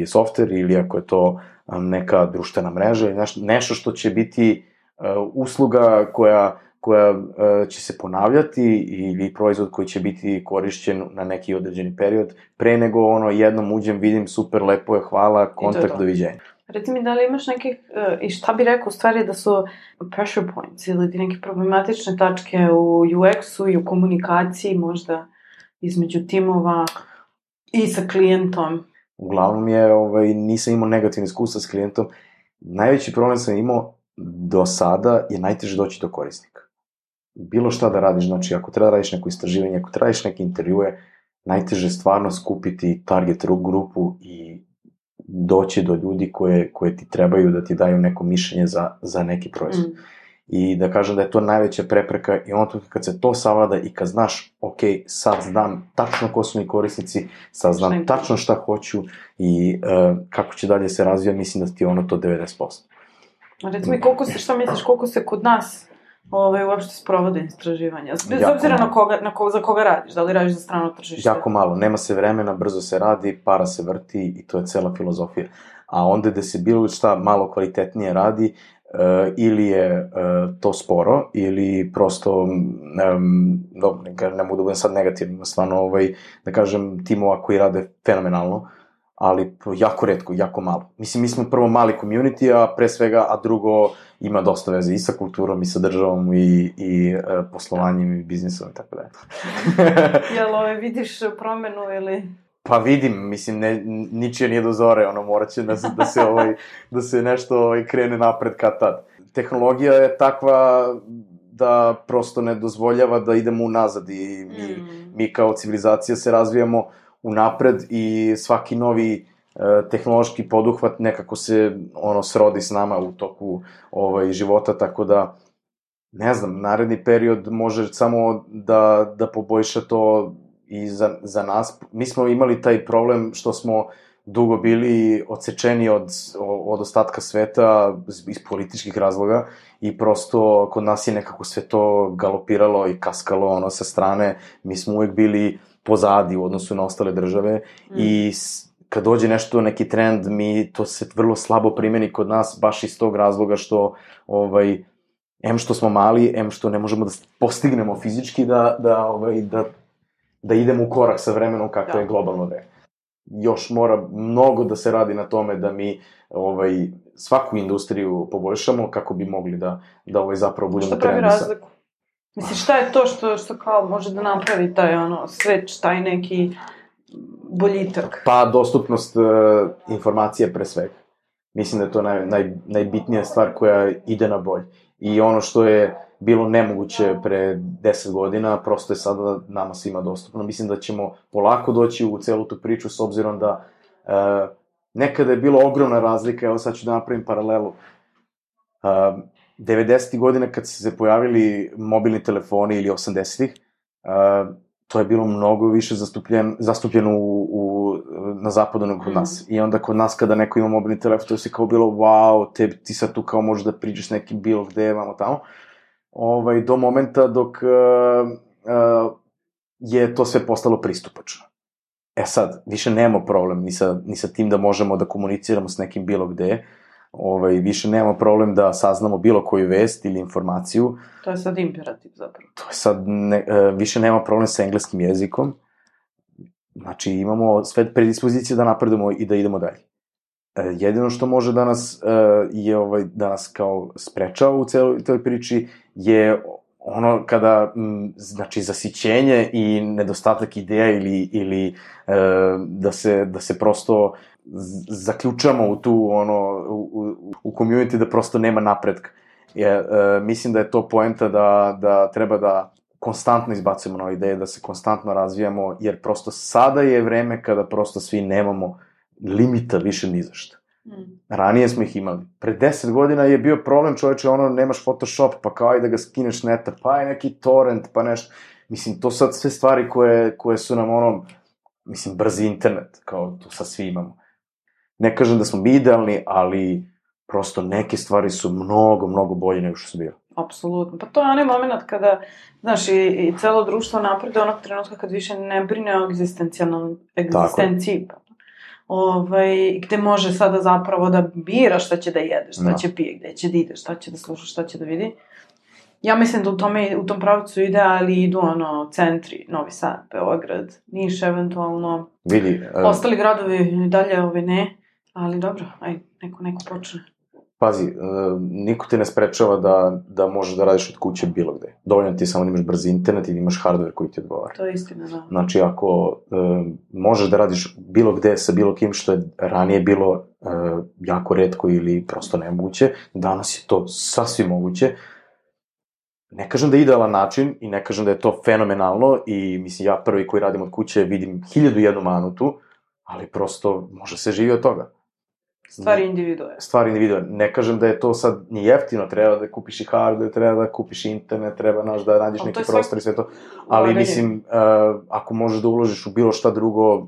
softver ili ako je to neka društvena mreža, nešto što će biti usluga koja će se ponavljati ili proizvod koji će biti korišćen na neki određeni period, pre nego jednom uđem, vidim, super, lepo je, hvala, kontakt, doviđenja. Reci mi, da li imaš nekih, i šta bi rekao u stvari da su pressure points ili neke problematične tačke u UX-u i u komunikaciji možda između timova i sa klijentom? Uglavnom nisam imao negativne iskustva s klijentom. Najveći problem sam imao do sada je najteže doći do korisnika. Bilo šta da radiš, znači ako treba da radiš neko istraživanje, ako treba da radiš neke intervjue, najteže je stvarno skupiti target grupu i doći do ljudi koje ti trebaju da ti daju neko mišljenje za neki proizvod. I da kažem da je to najveća prepreka i ono kad se to savlada i kad znaš, ok, sad znam tačno ko su mi korisnici, sad znam tačno šta hoću i kako će dalje se razvija, mislim da ti je ono to 90%. Recimo i šta misliš, koliko se kod nas uopšte sprovode istraživanja? Bez obzira za koga radiš, da li radiš za strano tržište? Jako malo, nema se vremena, brzo se radi, para se vrti i to je cela filozofija. A onda da se bilo šta malo kvalitetnije radi, ili je to sporo, ili prosto, ne mogu da budem sad negativno, stvarno, da kažem, timova koji rade fenomenalno, ali jako retko, jako malo. Mislim, mi smo prvo mali community, a pre svega, a drugo ima dosta veze i sa kulturom, i sa državom, i poslovanjem, i biznisom, i tako da. Jel vidiš promenu ili... Pa vidim, mislim, ničije nije do zore, morat će da se nešto krene napred kad tad. Tehnologija je takva da prosto ne dozvoljava da idemo unazad i mi kao civilizacija se razvijamo unapred i svaki novi tehnološki poduhvat nekako se srodi s nama u toku života, tako da ne znam, naredni period može samo da poboljša to i za nas. Mi smo imali taj problem što smo dugo bili odsečeni od ostatka sveta iz političkih razloga i prosto kod nas je nekako sve to galopiralo i kaskalo sa strane. Mi smo uvek bili pozadi u odnosu na ostale države i kad dođe nešto, neki trend, to se vrlo slabo primeni kod nas, baš iz tog razloga što em što smo mali, em što ne možemo da postignemo fizički da idemo u korak sa vremenom kako je globalno vreme. Još mora mnogo da se radi na tome da mi svaku industriju poboljšamo kako bi mogli da zapravo budemo trendi. Šta pravi razliku? Misliš, šta je to što kao može da napravi taj sveč, taj neki boljitak? Pa, dostupnost informacija pre svega. Mislim da je to najbitnija stvar koja ide na bolje. I ono što je bilo nemoguće pre 10 godina, prosto je sada nama svima dostupno. Mislim da ćemo polako doći u celu tu priču, s obzirom da nekada je bilo ogromna razlika, evo sad ću da napravim paralelu. 90. godina kad se pojavili mobilni telefoni ili 80. To je bilo mnogo više zastupljeno na zapadu nego kod nas. I onda kod nas kada neko ima mobilni telefon, to je sve kao bilo, wow, ti sad tu kao možeš da priđeš nekim bilo gde, vamo tamo. Do momenta dok je to sve postalo pristupačno. E sad, više nemamo problem ni sa tim da možemo da komuniciramo s nekim bilo gde, više nemamo problem da saznamo bilo koju vest ili informaciju. To je sad imperativ zapravo. To je sad, više nema problem sa engleskim jezikom, znači imamo sve predispozicije da napredujemo i da idemo dalje. Jedino što može da nas kao sprečava u celoj priči je ono kada, znači, zasićenje i nedostatak ideja ili da se prosto zaključamo u tu, u community da prosto nema napretka. Mislim da je to poenta da treba da konstantno izbacujemo nove ideje, da se konstantno razvijamo, jer prosto sada je vreme kada prosto svi nemamo limita više ni za šta. Ranije smo ih imali. Pre 10 godina je bio problem, čoveče, nemaš Photoshop, pa kao ajde da ga skineš neta, pa je neki torrent, pa nešto. Mislim, to sad sve stvari koje su nam mislim, brzi internet, kao to sad svi imamo. Ne kažem da smo mi idealni, ali prosto neke stvari su mnogo, mnogo bolje nego što su bile. Apsolutno. Pa to je onaj moment kada, znaš, i celo društvo napreduje onog trenutka kad više ne brine o egzistenciji. Gde može sada zapravo da bira šta će da jedeš, šta će pije, gde će da ideš, šta će da sluša, šta će da vidi. Ja mislim da u tom pravcu ide, ali idu centri, Novi Sad, Beograd, Niš eventualno. Vidi. Ostali gradovi dalje ne, ali dobro, ajde, neko počne. Pazi, niko te ne sprečava da možeš da radiš od kuće bilo gde. Dovoljno ti samo da imaš brzi internet i da imaš hardware koji ti odgovara. To je istina, da. Znači, ako možeš da radiš bilo gde sa bilo kim što je ranije bilo jako retko ili prosto nemoguće, danas je to sasvim moguće. ne kažem da je idealan način i ne kažem da je to fenomenalno i mislim ja prvi koji radim od kuće vidim 1001 manu tu, ali prosto može se živi od toga. Stvari individue. Stvari individue. Ne kažem da je to sad ni jeftino, treba da kupiš i hardware, treba da kupiš internet, treba da nađeš neki prostor i sve to, ali mislim, ako možeš da uložiš u bilo šta drugo,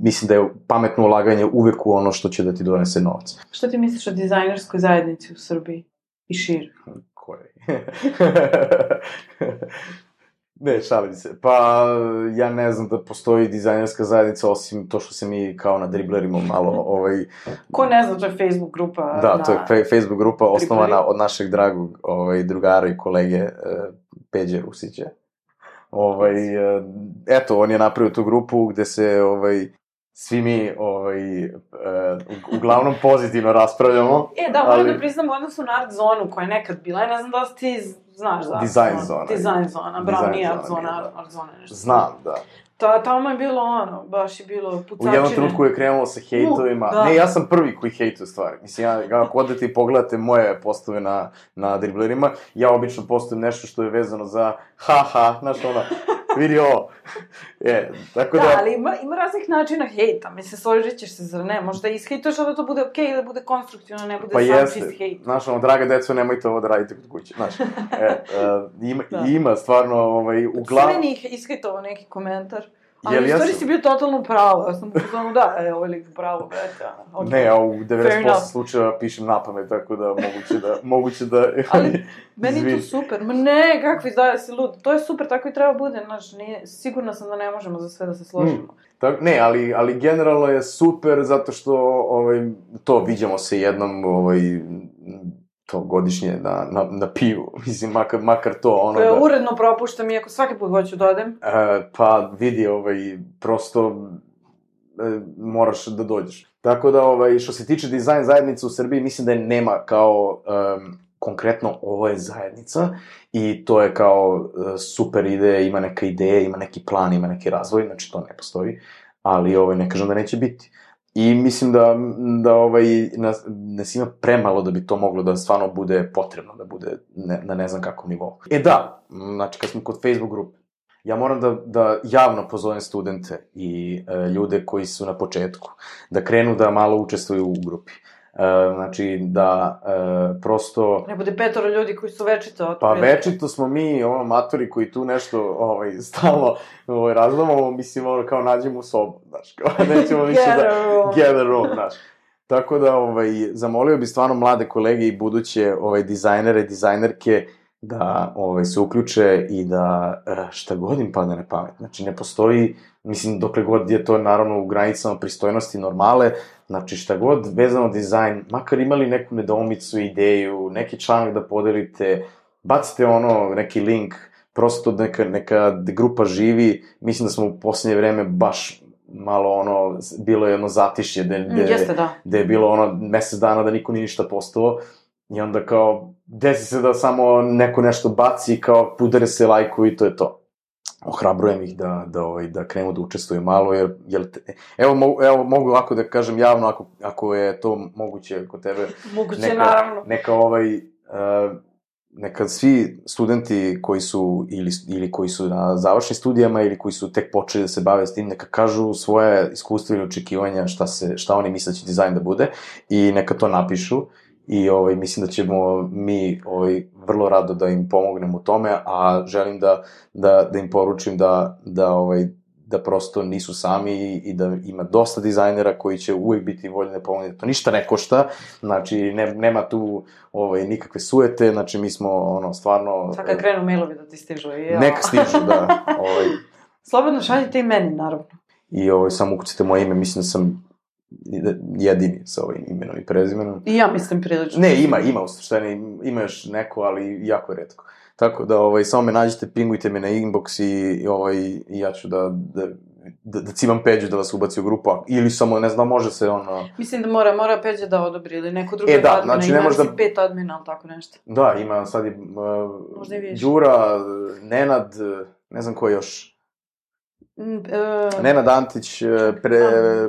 mislim da je pametno ulaganje uvek u ono što će da ti donese novac. Što ti misliš o dizajnerskoj zajednici u Srbiji i šire? Koje? Ne, šalim se. Pa, ja ne znam da postoji dizajnerska zajednica, osim to što se mi kao na driblerima malo, Ko ne zna, to je Facebook grupa. Da, to je Facebook grupa osnovana od našeg dragog drugara i kolege Peđe Rusića. Eto, on je napravio tu grupu gde se, svi mi, uglavnom pozitivno raspravljamo. Moram da priznam u odnosu na Art Zonu, koja je nekad bila, ja ne znam da ti znaš za Design Zona. Design Zona, bravo, nije Art Zona, Art Zona nešto. Znam, da. Tamo je bilo baš je bilo pucačine. U jednom trenutku je krenulo sa hejtovima. Ne, ja sam prvi koji hejtuje stvari. Mislim, ako odete i pogledate moje postove na driblerima, ja obično postavim nešto što je vezano za znaš vidi ovo. Tako da... ali ima raznih načina hejta. Mislim, složit ćeš se, zar ne? Možda ishejtuješ, da to bude okej, da bude konstruktivno, ne bude sam čist hejt. Znaš, draga deco, nemojte ovo da radite kod kuće, znaš. Ima stvarno, uglavnom... Sve njih ishejtovao neki komentar. Ali u stvari si bio totalno pravo, ja sam pozvano ovo je lik pravo, brete. Ne, ja u 90% slučajeva pišem napamet, tako da moguće da... Ali, meni je to super, ne, kakvi izdaje si lud, to je super, tako i treba bude, znaš, sigurna sam da ne možemo za sve da se složimo. Ne, ali generalno je super, zato što, to viđamo se jednom, to godišnje na pivu, mislim, makar to ono da... Uredno propuštam, iako svaki put hoću da odem. Pa vidi, prosto moraš da dođeš. Tako da, što se tiče dizajn zajednice u Srbiji, mislim da je nema kao konkretno ovo je zajednica i to je kao super ideja, ima neka ideja, ima neki plan, ima neki razvoj, znači to ne postoji, ali ne kažem da neće biti. I mislim da nas ima premalo da bi to moglo da stvarno bude potrebno, da bude na ne znam kakvom nivou. Da, znači kad smo kod Facebook grupe, ja moram da javno pozovem studente i ljude koji su na početku, da krenu da malo učestvuju u grupi. Znači, da prosto... Ne bude 5 ljudi koji su večito... Pa večito smo mi, matori koji tu nešto stalno razlamamo, mislim, kao nađemo u sobu, znaš, kao nećemo više da... Get a room, znaš. Tako da, zamolio bi stvarno mlade kolege i buduće dizajnere, dizajnerke, da se uključe i da šta god im padne na pamet. Znači, ne postoji, mislim, dokle god je to naravno u granicama pristojnosti normale, znači šta god vezano dizajn, makar imali neku nedoumicu, ideju, neki članak da podelite, bacite neki link, prosto neka grupa živi, mislim da smo u posljednje vreme baš malo bilo je zatišje, gde je bilo mesec dana da niko nije ništa postao, i onda kao, desi se da samo neko nešto baci, kao udare se lajku i to je to. Ohrabrujem ih da krenu da učestvuju malo, jer evo mogu ovako da kažem javno, ako je to moguće kod tebe. Moguće, naravno. Neka svi studenti koji su, ili koji su na završnim studijama, ili koji su tek počeli da se bave s tim, neka kažu svoje iskustva ili očekivanja, šta oni misle da će dizajn da bude, i neka to napišu. I mislim da ćemo mi vrlo rado da im pomognemo u tome, a želim da im poručim da prosto nisu sami i da ima dosta dizajnera koji će uvijek biti voljni da pomogne. To ništa ne košta, znači nema tu nikakve sujete, znači mi smo stvarno... Sad kad krenu mailovi da ti stižu. Nek stižu, da. Slobodno šaljite i meni, naravno. I samo ukucite moje ime, mislim da sam jedini sa ovim imenom i prezimenom. I ja mislim prilično. Ne, ima u suštini, ima još neko, ali jako je retko. Tako da, samo me nađite, pingujte me na inbox i ja ću da cimam Peđu da vas ubaci u grupu, ili samo, ne znam, može se Mislim da mora Peđa da odobri, ili neko drugo admina, znači, ima si 5 admina, ali tako nešto. Da, ima sad i Đura, Nenad, ne znam ko još. Nenad Antić,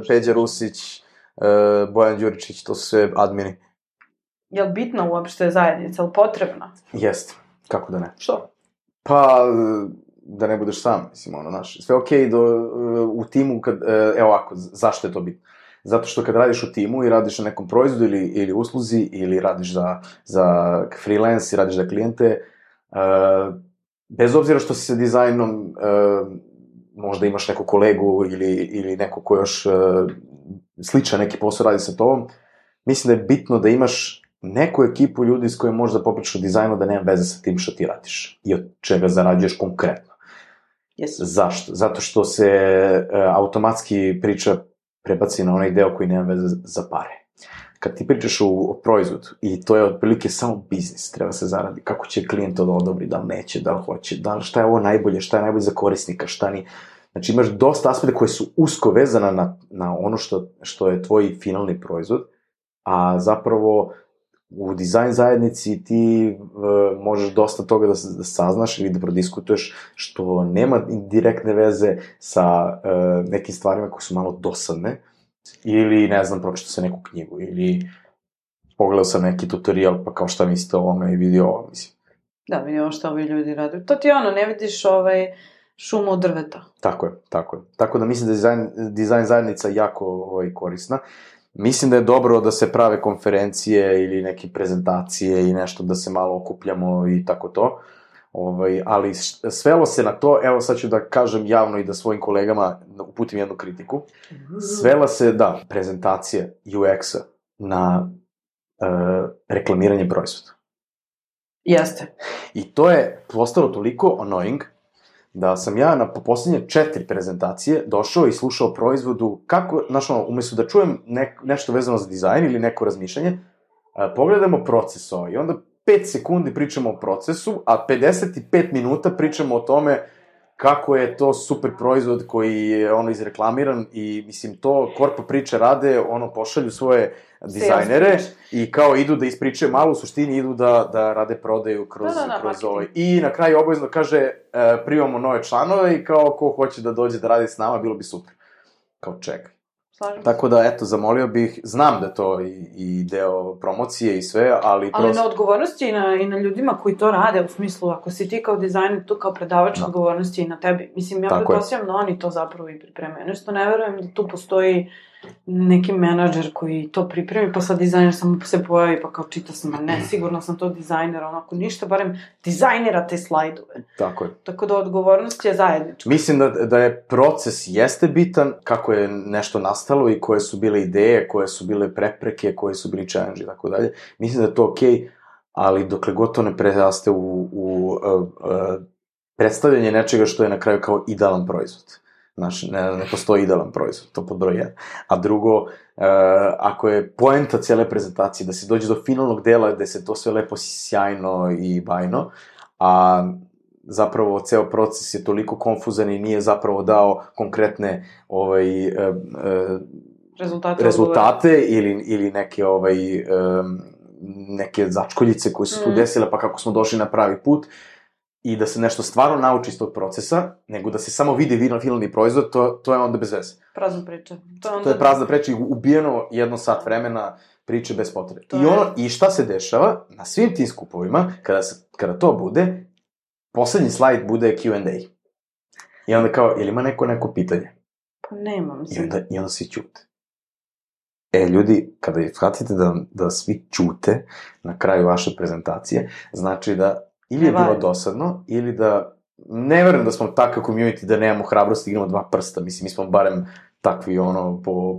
Peđa Rusić, Bojan Đuričić, to su sve admini. Je li bitna uopšte zajednica, je li potrebna? Jeste. Kako da ne? Što? Pa, da ne budeš sam, mislim, sve okej u timu, evo ovako, zašto je to bitno? Zato što kad radiš u timu i radiš na nekom proizvodu ili usluzi, ili radiš za freelance i radiš za klijente, bez obzira što si sa dizajnom, možda imaš neku kolegu ili neko ko još sličan neki posao radi sa tobom, mislim da je bitno da imaš neku ekipu ljudi s kojom možeš da popričaš o dizajnu, da nema veze sa tim što ti radiš i od čega zarađuješ konkretno. Yes. Zašto? Zato što se automatski priča prebaci na onaj deo koji nema veze za pare. Kad ti pričaš o proizvodu, i to je otprilike samo biznis, treba se zaradi, kako će klijent to da odobri, da li neće, da li hoće, šta je ovo najbolje, šta je najbolje za korisnika, šta ni... Znači imaš dosta aspekta koje su usko vezana na ono što je tvoj finalni proizvod, a zapravo u dizajn zajednici ti možeš dosta toga da saznaš ili da prodiskutuješ što nema direktne veze sa nekim stvarima koje su malo dosadne, ili, ne znam, pročitao sam neku knjigu, ili pogledao sam neki tutorial, pa kao šta mislite o ovome i vidio ovo, mislim. Da, vidio šta ovi ljudi rade. To ti ne vidiš šumu od drveta. Tako je. Tako da mislim da je dizajn zajednica jako korisna. Mislim da je dobro da se prave konferencije ili neke prezentacije i nešto da se malo okupljamo i tako to. Ali svelo se na to, evo sad ću da kažem javno i da svojim kolegama uputim jednu kritiku. Svela se, prezentacije UX-a na reklamiranje proizvoda. Jeste. I to je postalo toliko annoying da sam ja na poslednje 4 prezentacije došao i slušao o proizvodu kako, umesto da čujem nešto vezano za dizajn ili neko razmišljanje, pogledamo proces i onda 5 sekundi pričamo o procesu, a 55 minuta pričamo o tome kako je to super proizvod koji je izreklamiran i, mislim, to korpo priče rade, pošalju svoje dizajnere i kao idu da ispričaju malo, u suštini idu da rade prodaju kroz ovaj. I na kraju obavezno kaže, primamo nove članove i kao ko hoće da dođe da radi s nama, bilo bi super. Kao čekaj. Tako da, eto, zamolio bih, znam da to i deo promocije i sve, ali na odgovornosti i na ljudima koji to rade, u smislu, ako si ti kao dizajner, tu kao predavač, odgovornosti i na tebi. Mislim, ja pretpostavljam da oni to zapravo i pripremaju. Nešto ne verujem da tu postoji neki menadžer koji to pripremi, pa sad dizajner samo se pojavi, pa kao čita sam, ne, sigurno sam to dizajner, onako ništa, barem dizajnera te slajdove. Tako je. Tako da odgovornost je zajednička. Mislim da je proces jeste bitan, kako je nešto nastalo i koje su bile ideje, koje su bile prepreke, koje su bili challenge i tako dalje. Mislim da je to okej, ali dokle god to ne preraste u predstavljanje nečega što je na kraju kao idealan proizvod. Znači, ne postoji idealan proizvod, to pod broj 1. A drugo, ako je poenta cijele prezentacije da se dođe do finalnog dela gde se to sve lepo sjajno i bajno, a zapravo ceo proces je toliko konfuzan i nije zapravo dao konkretne rezultate ili neke začkoljice koje su tu desile, pa kako smo došli na pravi put, i da se nešto stvarno nauči iz tog procesa, nego da se samo vidi finalni proizvod, to je onda bez veze. Prazna priča. To je prazna priča i ubijeno 1 sat vremena priče bez potrebe. I šta se dešava na svim tim skupovima, kada to bude, poslednji slajd bude Q&A. I onda kao, jel ima neko pitanje? Pa nema, mislim. I onda svi ćute. Ljudi, kada shvatite da svi ćute na kraju vaše prezentacije, znači da ili je bilo dosadno, ili da... Ne verujem da smo takav community da nemamo hrabrosti, igramo 2 prsta. Mislim, mi smo barem takvi,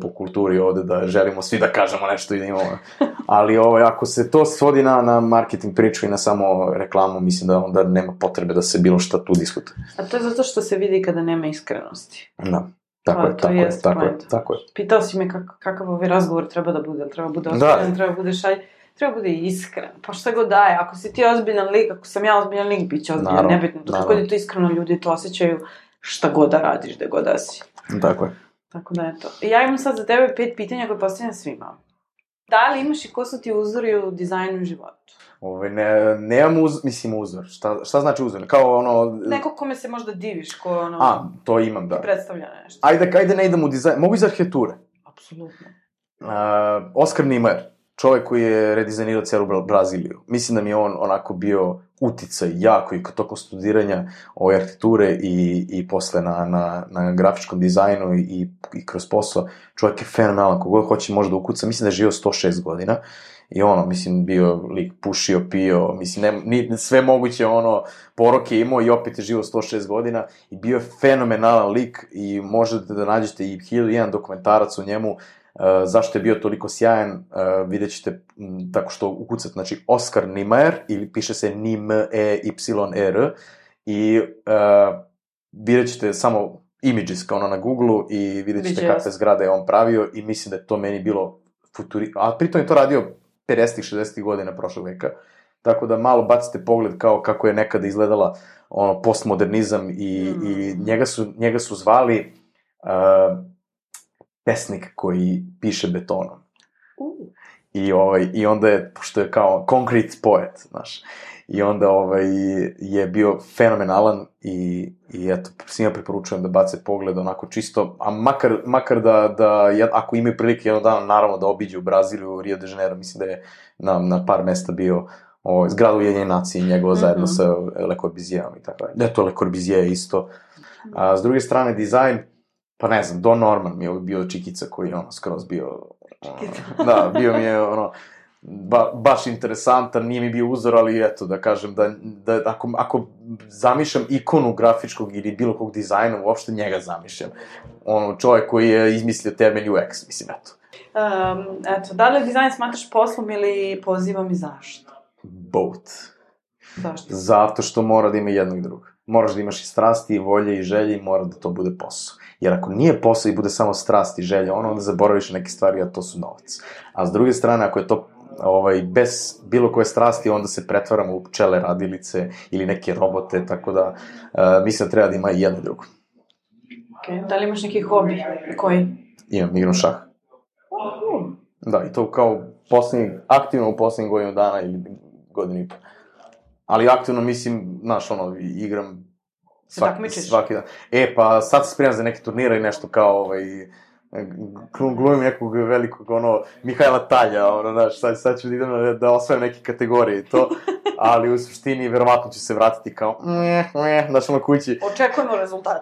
po kulturi ovde, da želimo svi da kažemo nešto i da imamo... Ali, ako se to svodi na marketing priču i na samo reklamu, mislim da onda nema potrebe da se bilo šta tu diskutuje. A to je zato što se vidi kada nema iskrenosti. Da. Tako je. Pitao si me kakav ovaj razgovor treba da bude, treba bude ozbiljan, treba bude šalj... Treba bude iskren, pa šta god daje, ako si ti ozbiljan lik, ako sam ja ozbiljan lik, bit će ozbiljan, nebitno, dok god je to iskreno, ljudi to osjećaju šta god da radiš, da god da si. Tako je. Tako da je to. I ja imam sad za tebe 5 pitanja koje postavljam svima. Da li imaš i ko su ti uzori u dizajnu i životu? Nemam uzor. Šta znači uzor? Kao Neko kome se možda diviš, ko to imam, da. Predstavlja nešto. Ajde ne idem u dizajn, mogu iz arhitekture. Apsolutno. Oskar Niemeyer. čovjek koji je redizajnirao celu Braziliju. Mislim da mi je on onako bio uticaj jako i tokom studiranja ove arhitekture i posle na grafičkom dizajnu i kroz posao. Čovjek je fenomenalan, kogod hoće može da ukuca. Mislim da je živio 106 godina. I mislim, bio lik, pušio, pio, mislim, sve moguće, poroke imao i opet je živo 106 godina i bio je fenomenalan lik i možete da nađete i 1001 dokumentarac o njemu, zašto je bio toliko sjajan, vidjet ćete tako što ukucate, znači, Oskar Niemeyer, ili piše se Niemeyer, i vidjet ćete samo images kao na Google-u i vidjet ćete kakve zgrade je on pravio i mislim da je to meni bilo a pritom je to radio 50-ih, 60-ih godina prošlog veka, tako da malo bacite pogled kao kako je nekada izgledala postmodernizam i njega su zvali pesnik koji piše betonom. I onda je, pošto je kao concrete poet, znaš, i onda je bio fenomenalan i eto, svima preporučujem da bace pogled onako čisto, a makar da ako imaju prilike jednog dana, naravno da obiđu Braziliju, Rio de Janeiro, mislim da je na par mesta bio zgrada Ujedinjenih nacija njegova zajedno sa Le Corbusijerom i tako dalje. To Le Corbusier isto. A s druge strane, dizajn, pa ne znam, Don Norman mi je bio čikica koji je skroz bio... Da, bio mi je baš interesantan, nije mi bio uzor, ali eto, da kažem, da ako zamišljam ikonu grafičkog ili bilo kog dizajna, uopšte njega zamišljam. Čovjek koji je izmislio termin UX, mislim, eto. Eto, da li dizajn smatraš poslom ili pozivom i zašto? Both. Zašto? Zato što mora da ima jedno i drugo. Moraš da imaš i strasti, i volje, i želje, i mora da to bude posao. Jer ako nije posao i bude samo strast i želja, onda zaboraviš neke stvari, a to su novac. A s druge strane, ako je to bez bilo koje strasti, onda se pretvaramo u pčele radilice ili neke robote, tako da mislim da treba da ima i jedno i drugo. Ok, da li imaš neki hobi? Koji? Imam, igram šah. Da, i to kao aktivno u poslednjih godinu dana ili godinu i po. Ali aktivno mislim, znaš, igram svaki dan. Pa sad se spremam za neke turnire i nešto kao, glumim nekog velikog, Mihajla Talja, znaš, sad ću da idem da osvajam neke kategorije i to, ali u suštini verovatno ću se vratiti kao, znaš, kući.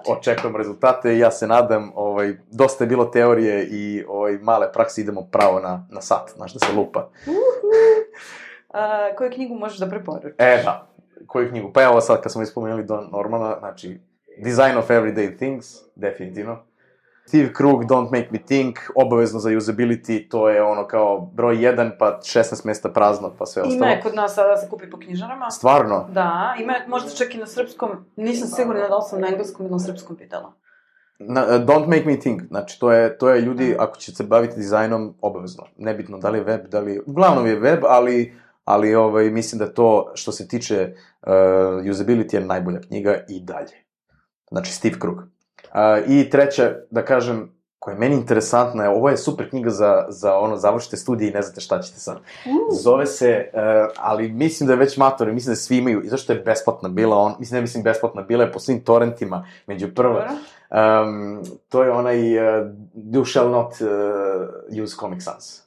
Očekujemo rezultate i ja se nadam, dosta je bilo teorije i male prakse, idemo pravo na sat, znaš, da se lupa. Koju knjigu možeš da preporučiš? Da, koju knjigu? Pa evo sad, kad smo ispomenuli Don Normana, znači, Design of Everyday Things, definitivno. Steve Krug, Don't Make Me Think, obavezno za usability, to je kao broj 1, pa 16 mesta prazno, pa sve ostalo. Ima je kod nas sada se kupi po knjižarama. Stvarno? Da, ima je možda čak i na srpskom, nisam sigurna da li sam na engleskom ili na srpskom pitala. Don't Make Me Think, znači to je ljudi, ako će se baviti dizajnom, obavezno. Nebitno da li je web, uglavnom je web, ali mislim da to, što se tiče usability, je najbolja knjiga i dalje. Znači, Steve Krug. I treća, da kažem, koja je meni interesantna, ovo je super knjiga za završite studije i ne znate šta ćete sad. Zove se, ali mislim da je već matori, mislim da svi imaju, i zašto je besplatna bila, besplatna, bila je po svim torrentima, među prva. To je onaj You Shall Not Use Comic Sans.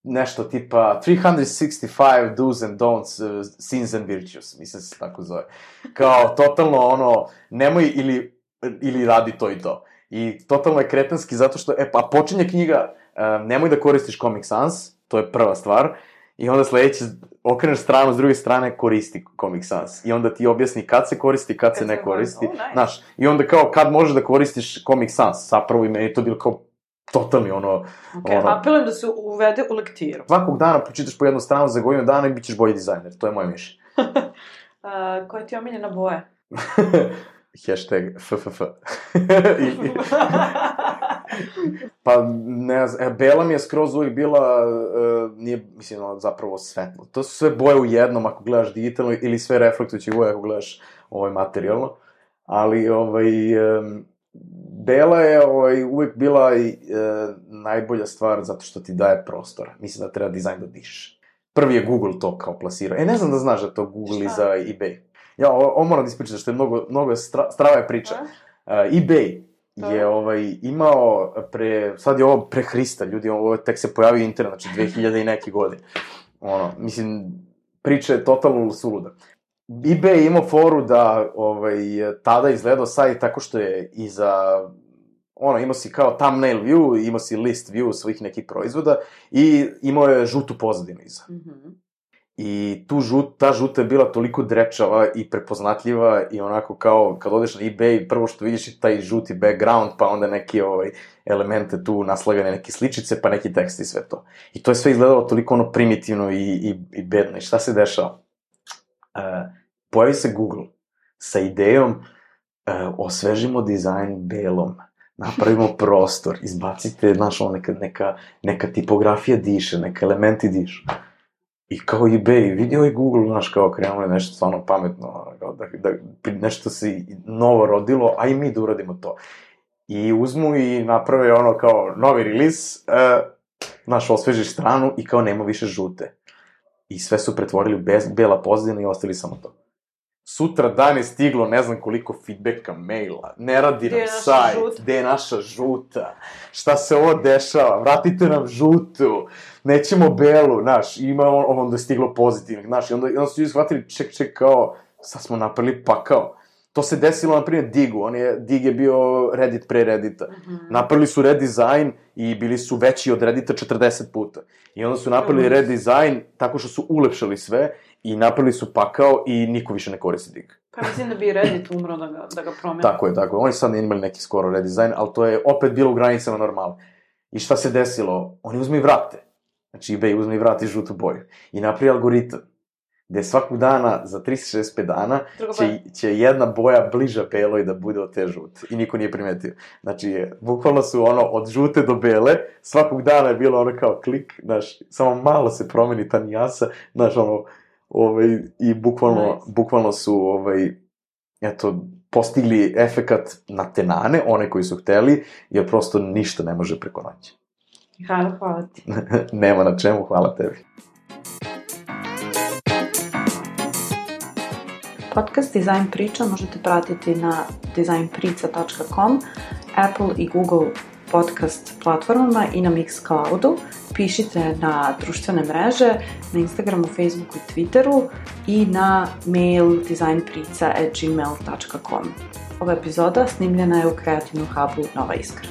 Nešto tipa 365 do's and don'ts, sins and virtues, mislim se tako zove. Kao, totalno nemoj ili radi to i to. I totalno je kretenski zato što, pa počinje knjiga, nemoj da koristiš Comic Sans, to je prva stvar, i onda sledeće, okreneš stranu, s druge strane, koristi Comic Sans. I onda ti objasni kad se koristi, kad se ne koristi. Znaš, i onda kao, kad možeš da koristiš Comic Sans, zapravo i meni to bilo kao totalni apelujem da se uvede u lektiru. Svakog dana počitaš po jednu stranu za godinu dana i bit ćeš bolji dizajner, to je moje mišljenje. Koja ti je omiljena boja? Hashtag FFF. Pa, ne znam, bela mi je skroz uvijek bila, nije, mislim, zapravo svetlo. To su sve boje u jednom ako gledaš digitalno ili sve reflektujući boje ako gledaš materijalno. Ali, bela je uvijek bila najbolja stvar zato što ti daje prostora. Mislim da treba dizajn da dišeš. Prvi je Google to kao plasirao. Ne znam da znaš da to Google i za eBay. Ja, ovo moram da ispričam, što je mnogo strava je priča. eBay je imao sad je ovo pre Hrista, ljudi, ovo tek se pojavio internet, znači 2000 i neki godine. Mislim, priča je totalno suluda. eBay je imao foru da tada izgledao sajt tako što je imao si kao thumbnail view, imao si list view svojih nekih proizvoda i imao je žutu pozadinu iza. I ta žuta je bila toliko drečava i prepoznatljiva i onako kao kad odeš na eBay, prvo što vidiš je taj žuti background, pa onda neke elemente tu naslagane, neke sličice, pa neki tekst i sve to. I to je sve izgledalo toliko primitivno i bedno. I šta se dešava? Pojavi se Google sa idejom osvežimo dizajn belom, napravimo prostor, izbacite, neka tipografija diše, neka elementi dišu. I kao eBay, vidio je Google, kao krenulo je nešto stvarno pametno, da nešto se novo rodilo, a i mi da uradimo to. I uzmu i naprave kao novi release, osvežiš stranu i kao nema više žute. I sve su pretvorili u bela pozadina i ostali samo to. Sutra dan je stiglo ne znam koliko feedbacka, maila, ne radi nam sajt, gde je naša žuta, šta se ovo dešava, vratite nam žutu, nećemo belu, ima onda je stiglo pozitivnih, i onda su ljudi shvatili, ček, kao, sad smo napravili pakao. To se desilo, na primjer, Dig je bio Reddit pre Reddita. Napravili su redesign i bili su veći od Reddita 40 puta. I onda su napravili redesign tako što su ulepšali sve i napravili su pakao i niko više ne koristi Dig. Pa mislim da bi Reddit umro da ga promeni. Tako je. Oni sad ne imali neki skoro redesign, ali to je opet bilo u granicama normale. I šta se desilo? Oni uzme i vrate. Znači eBay uzme i vrati žutu boju. I napravi algoritam gde svakog dana, za 365 dana, će jedna boja bliža beloj da bude od te žute. I niko nije primetio. Znači, bukvalno su od žute do bele, svakog dana je bilo kao klik, samo malo se promeni ta nijasa, i bukvalno su, postigli efekat na tenane, one koji su hteli, jer prosto ništa ne može preko noći. Hvala ti. Nema na čemu, hvala tebi. Podcast Dizajn priča možete pratiti na dizajnprica.com, Apple i Google podcast platformama i na Mixcloudu. Pišite na društvene mreže, na Instagramu, Facebooku i Twitteru i na mail dizajnprica@gmail.com. Ova epizoda snimljena je u Kreativnom hubu Nova Iskra.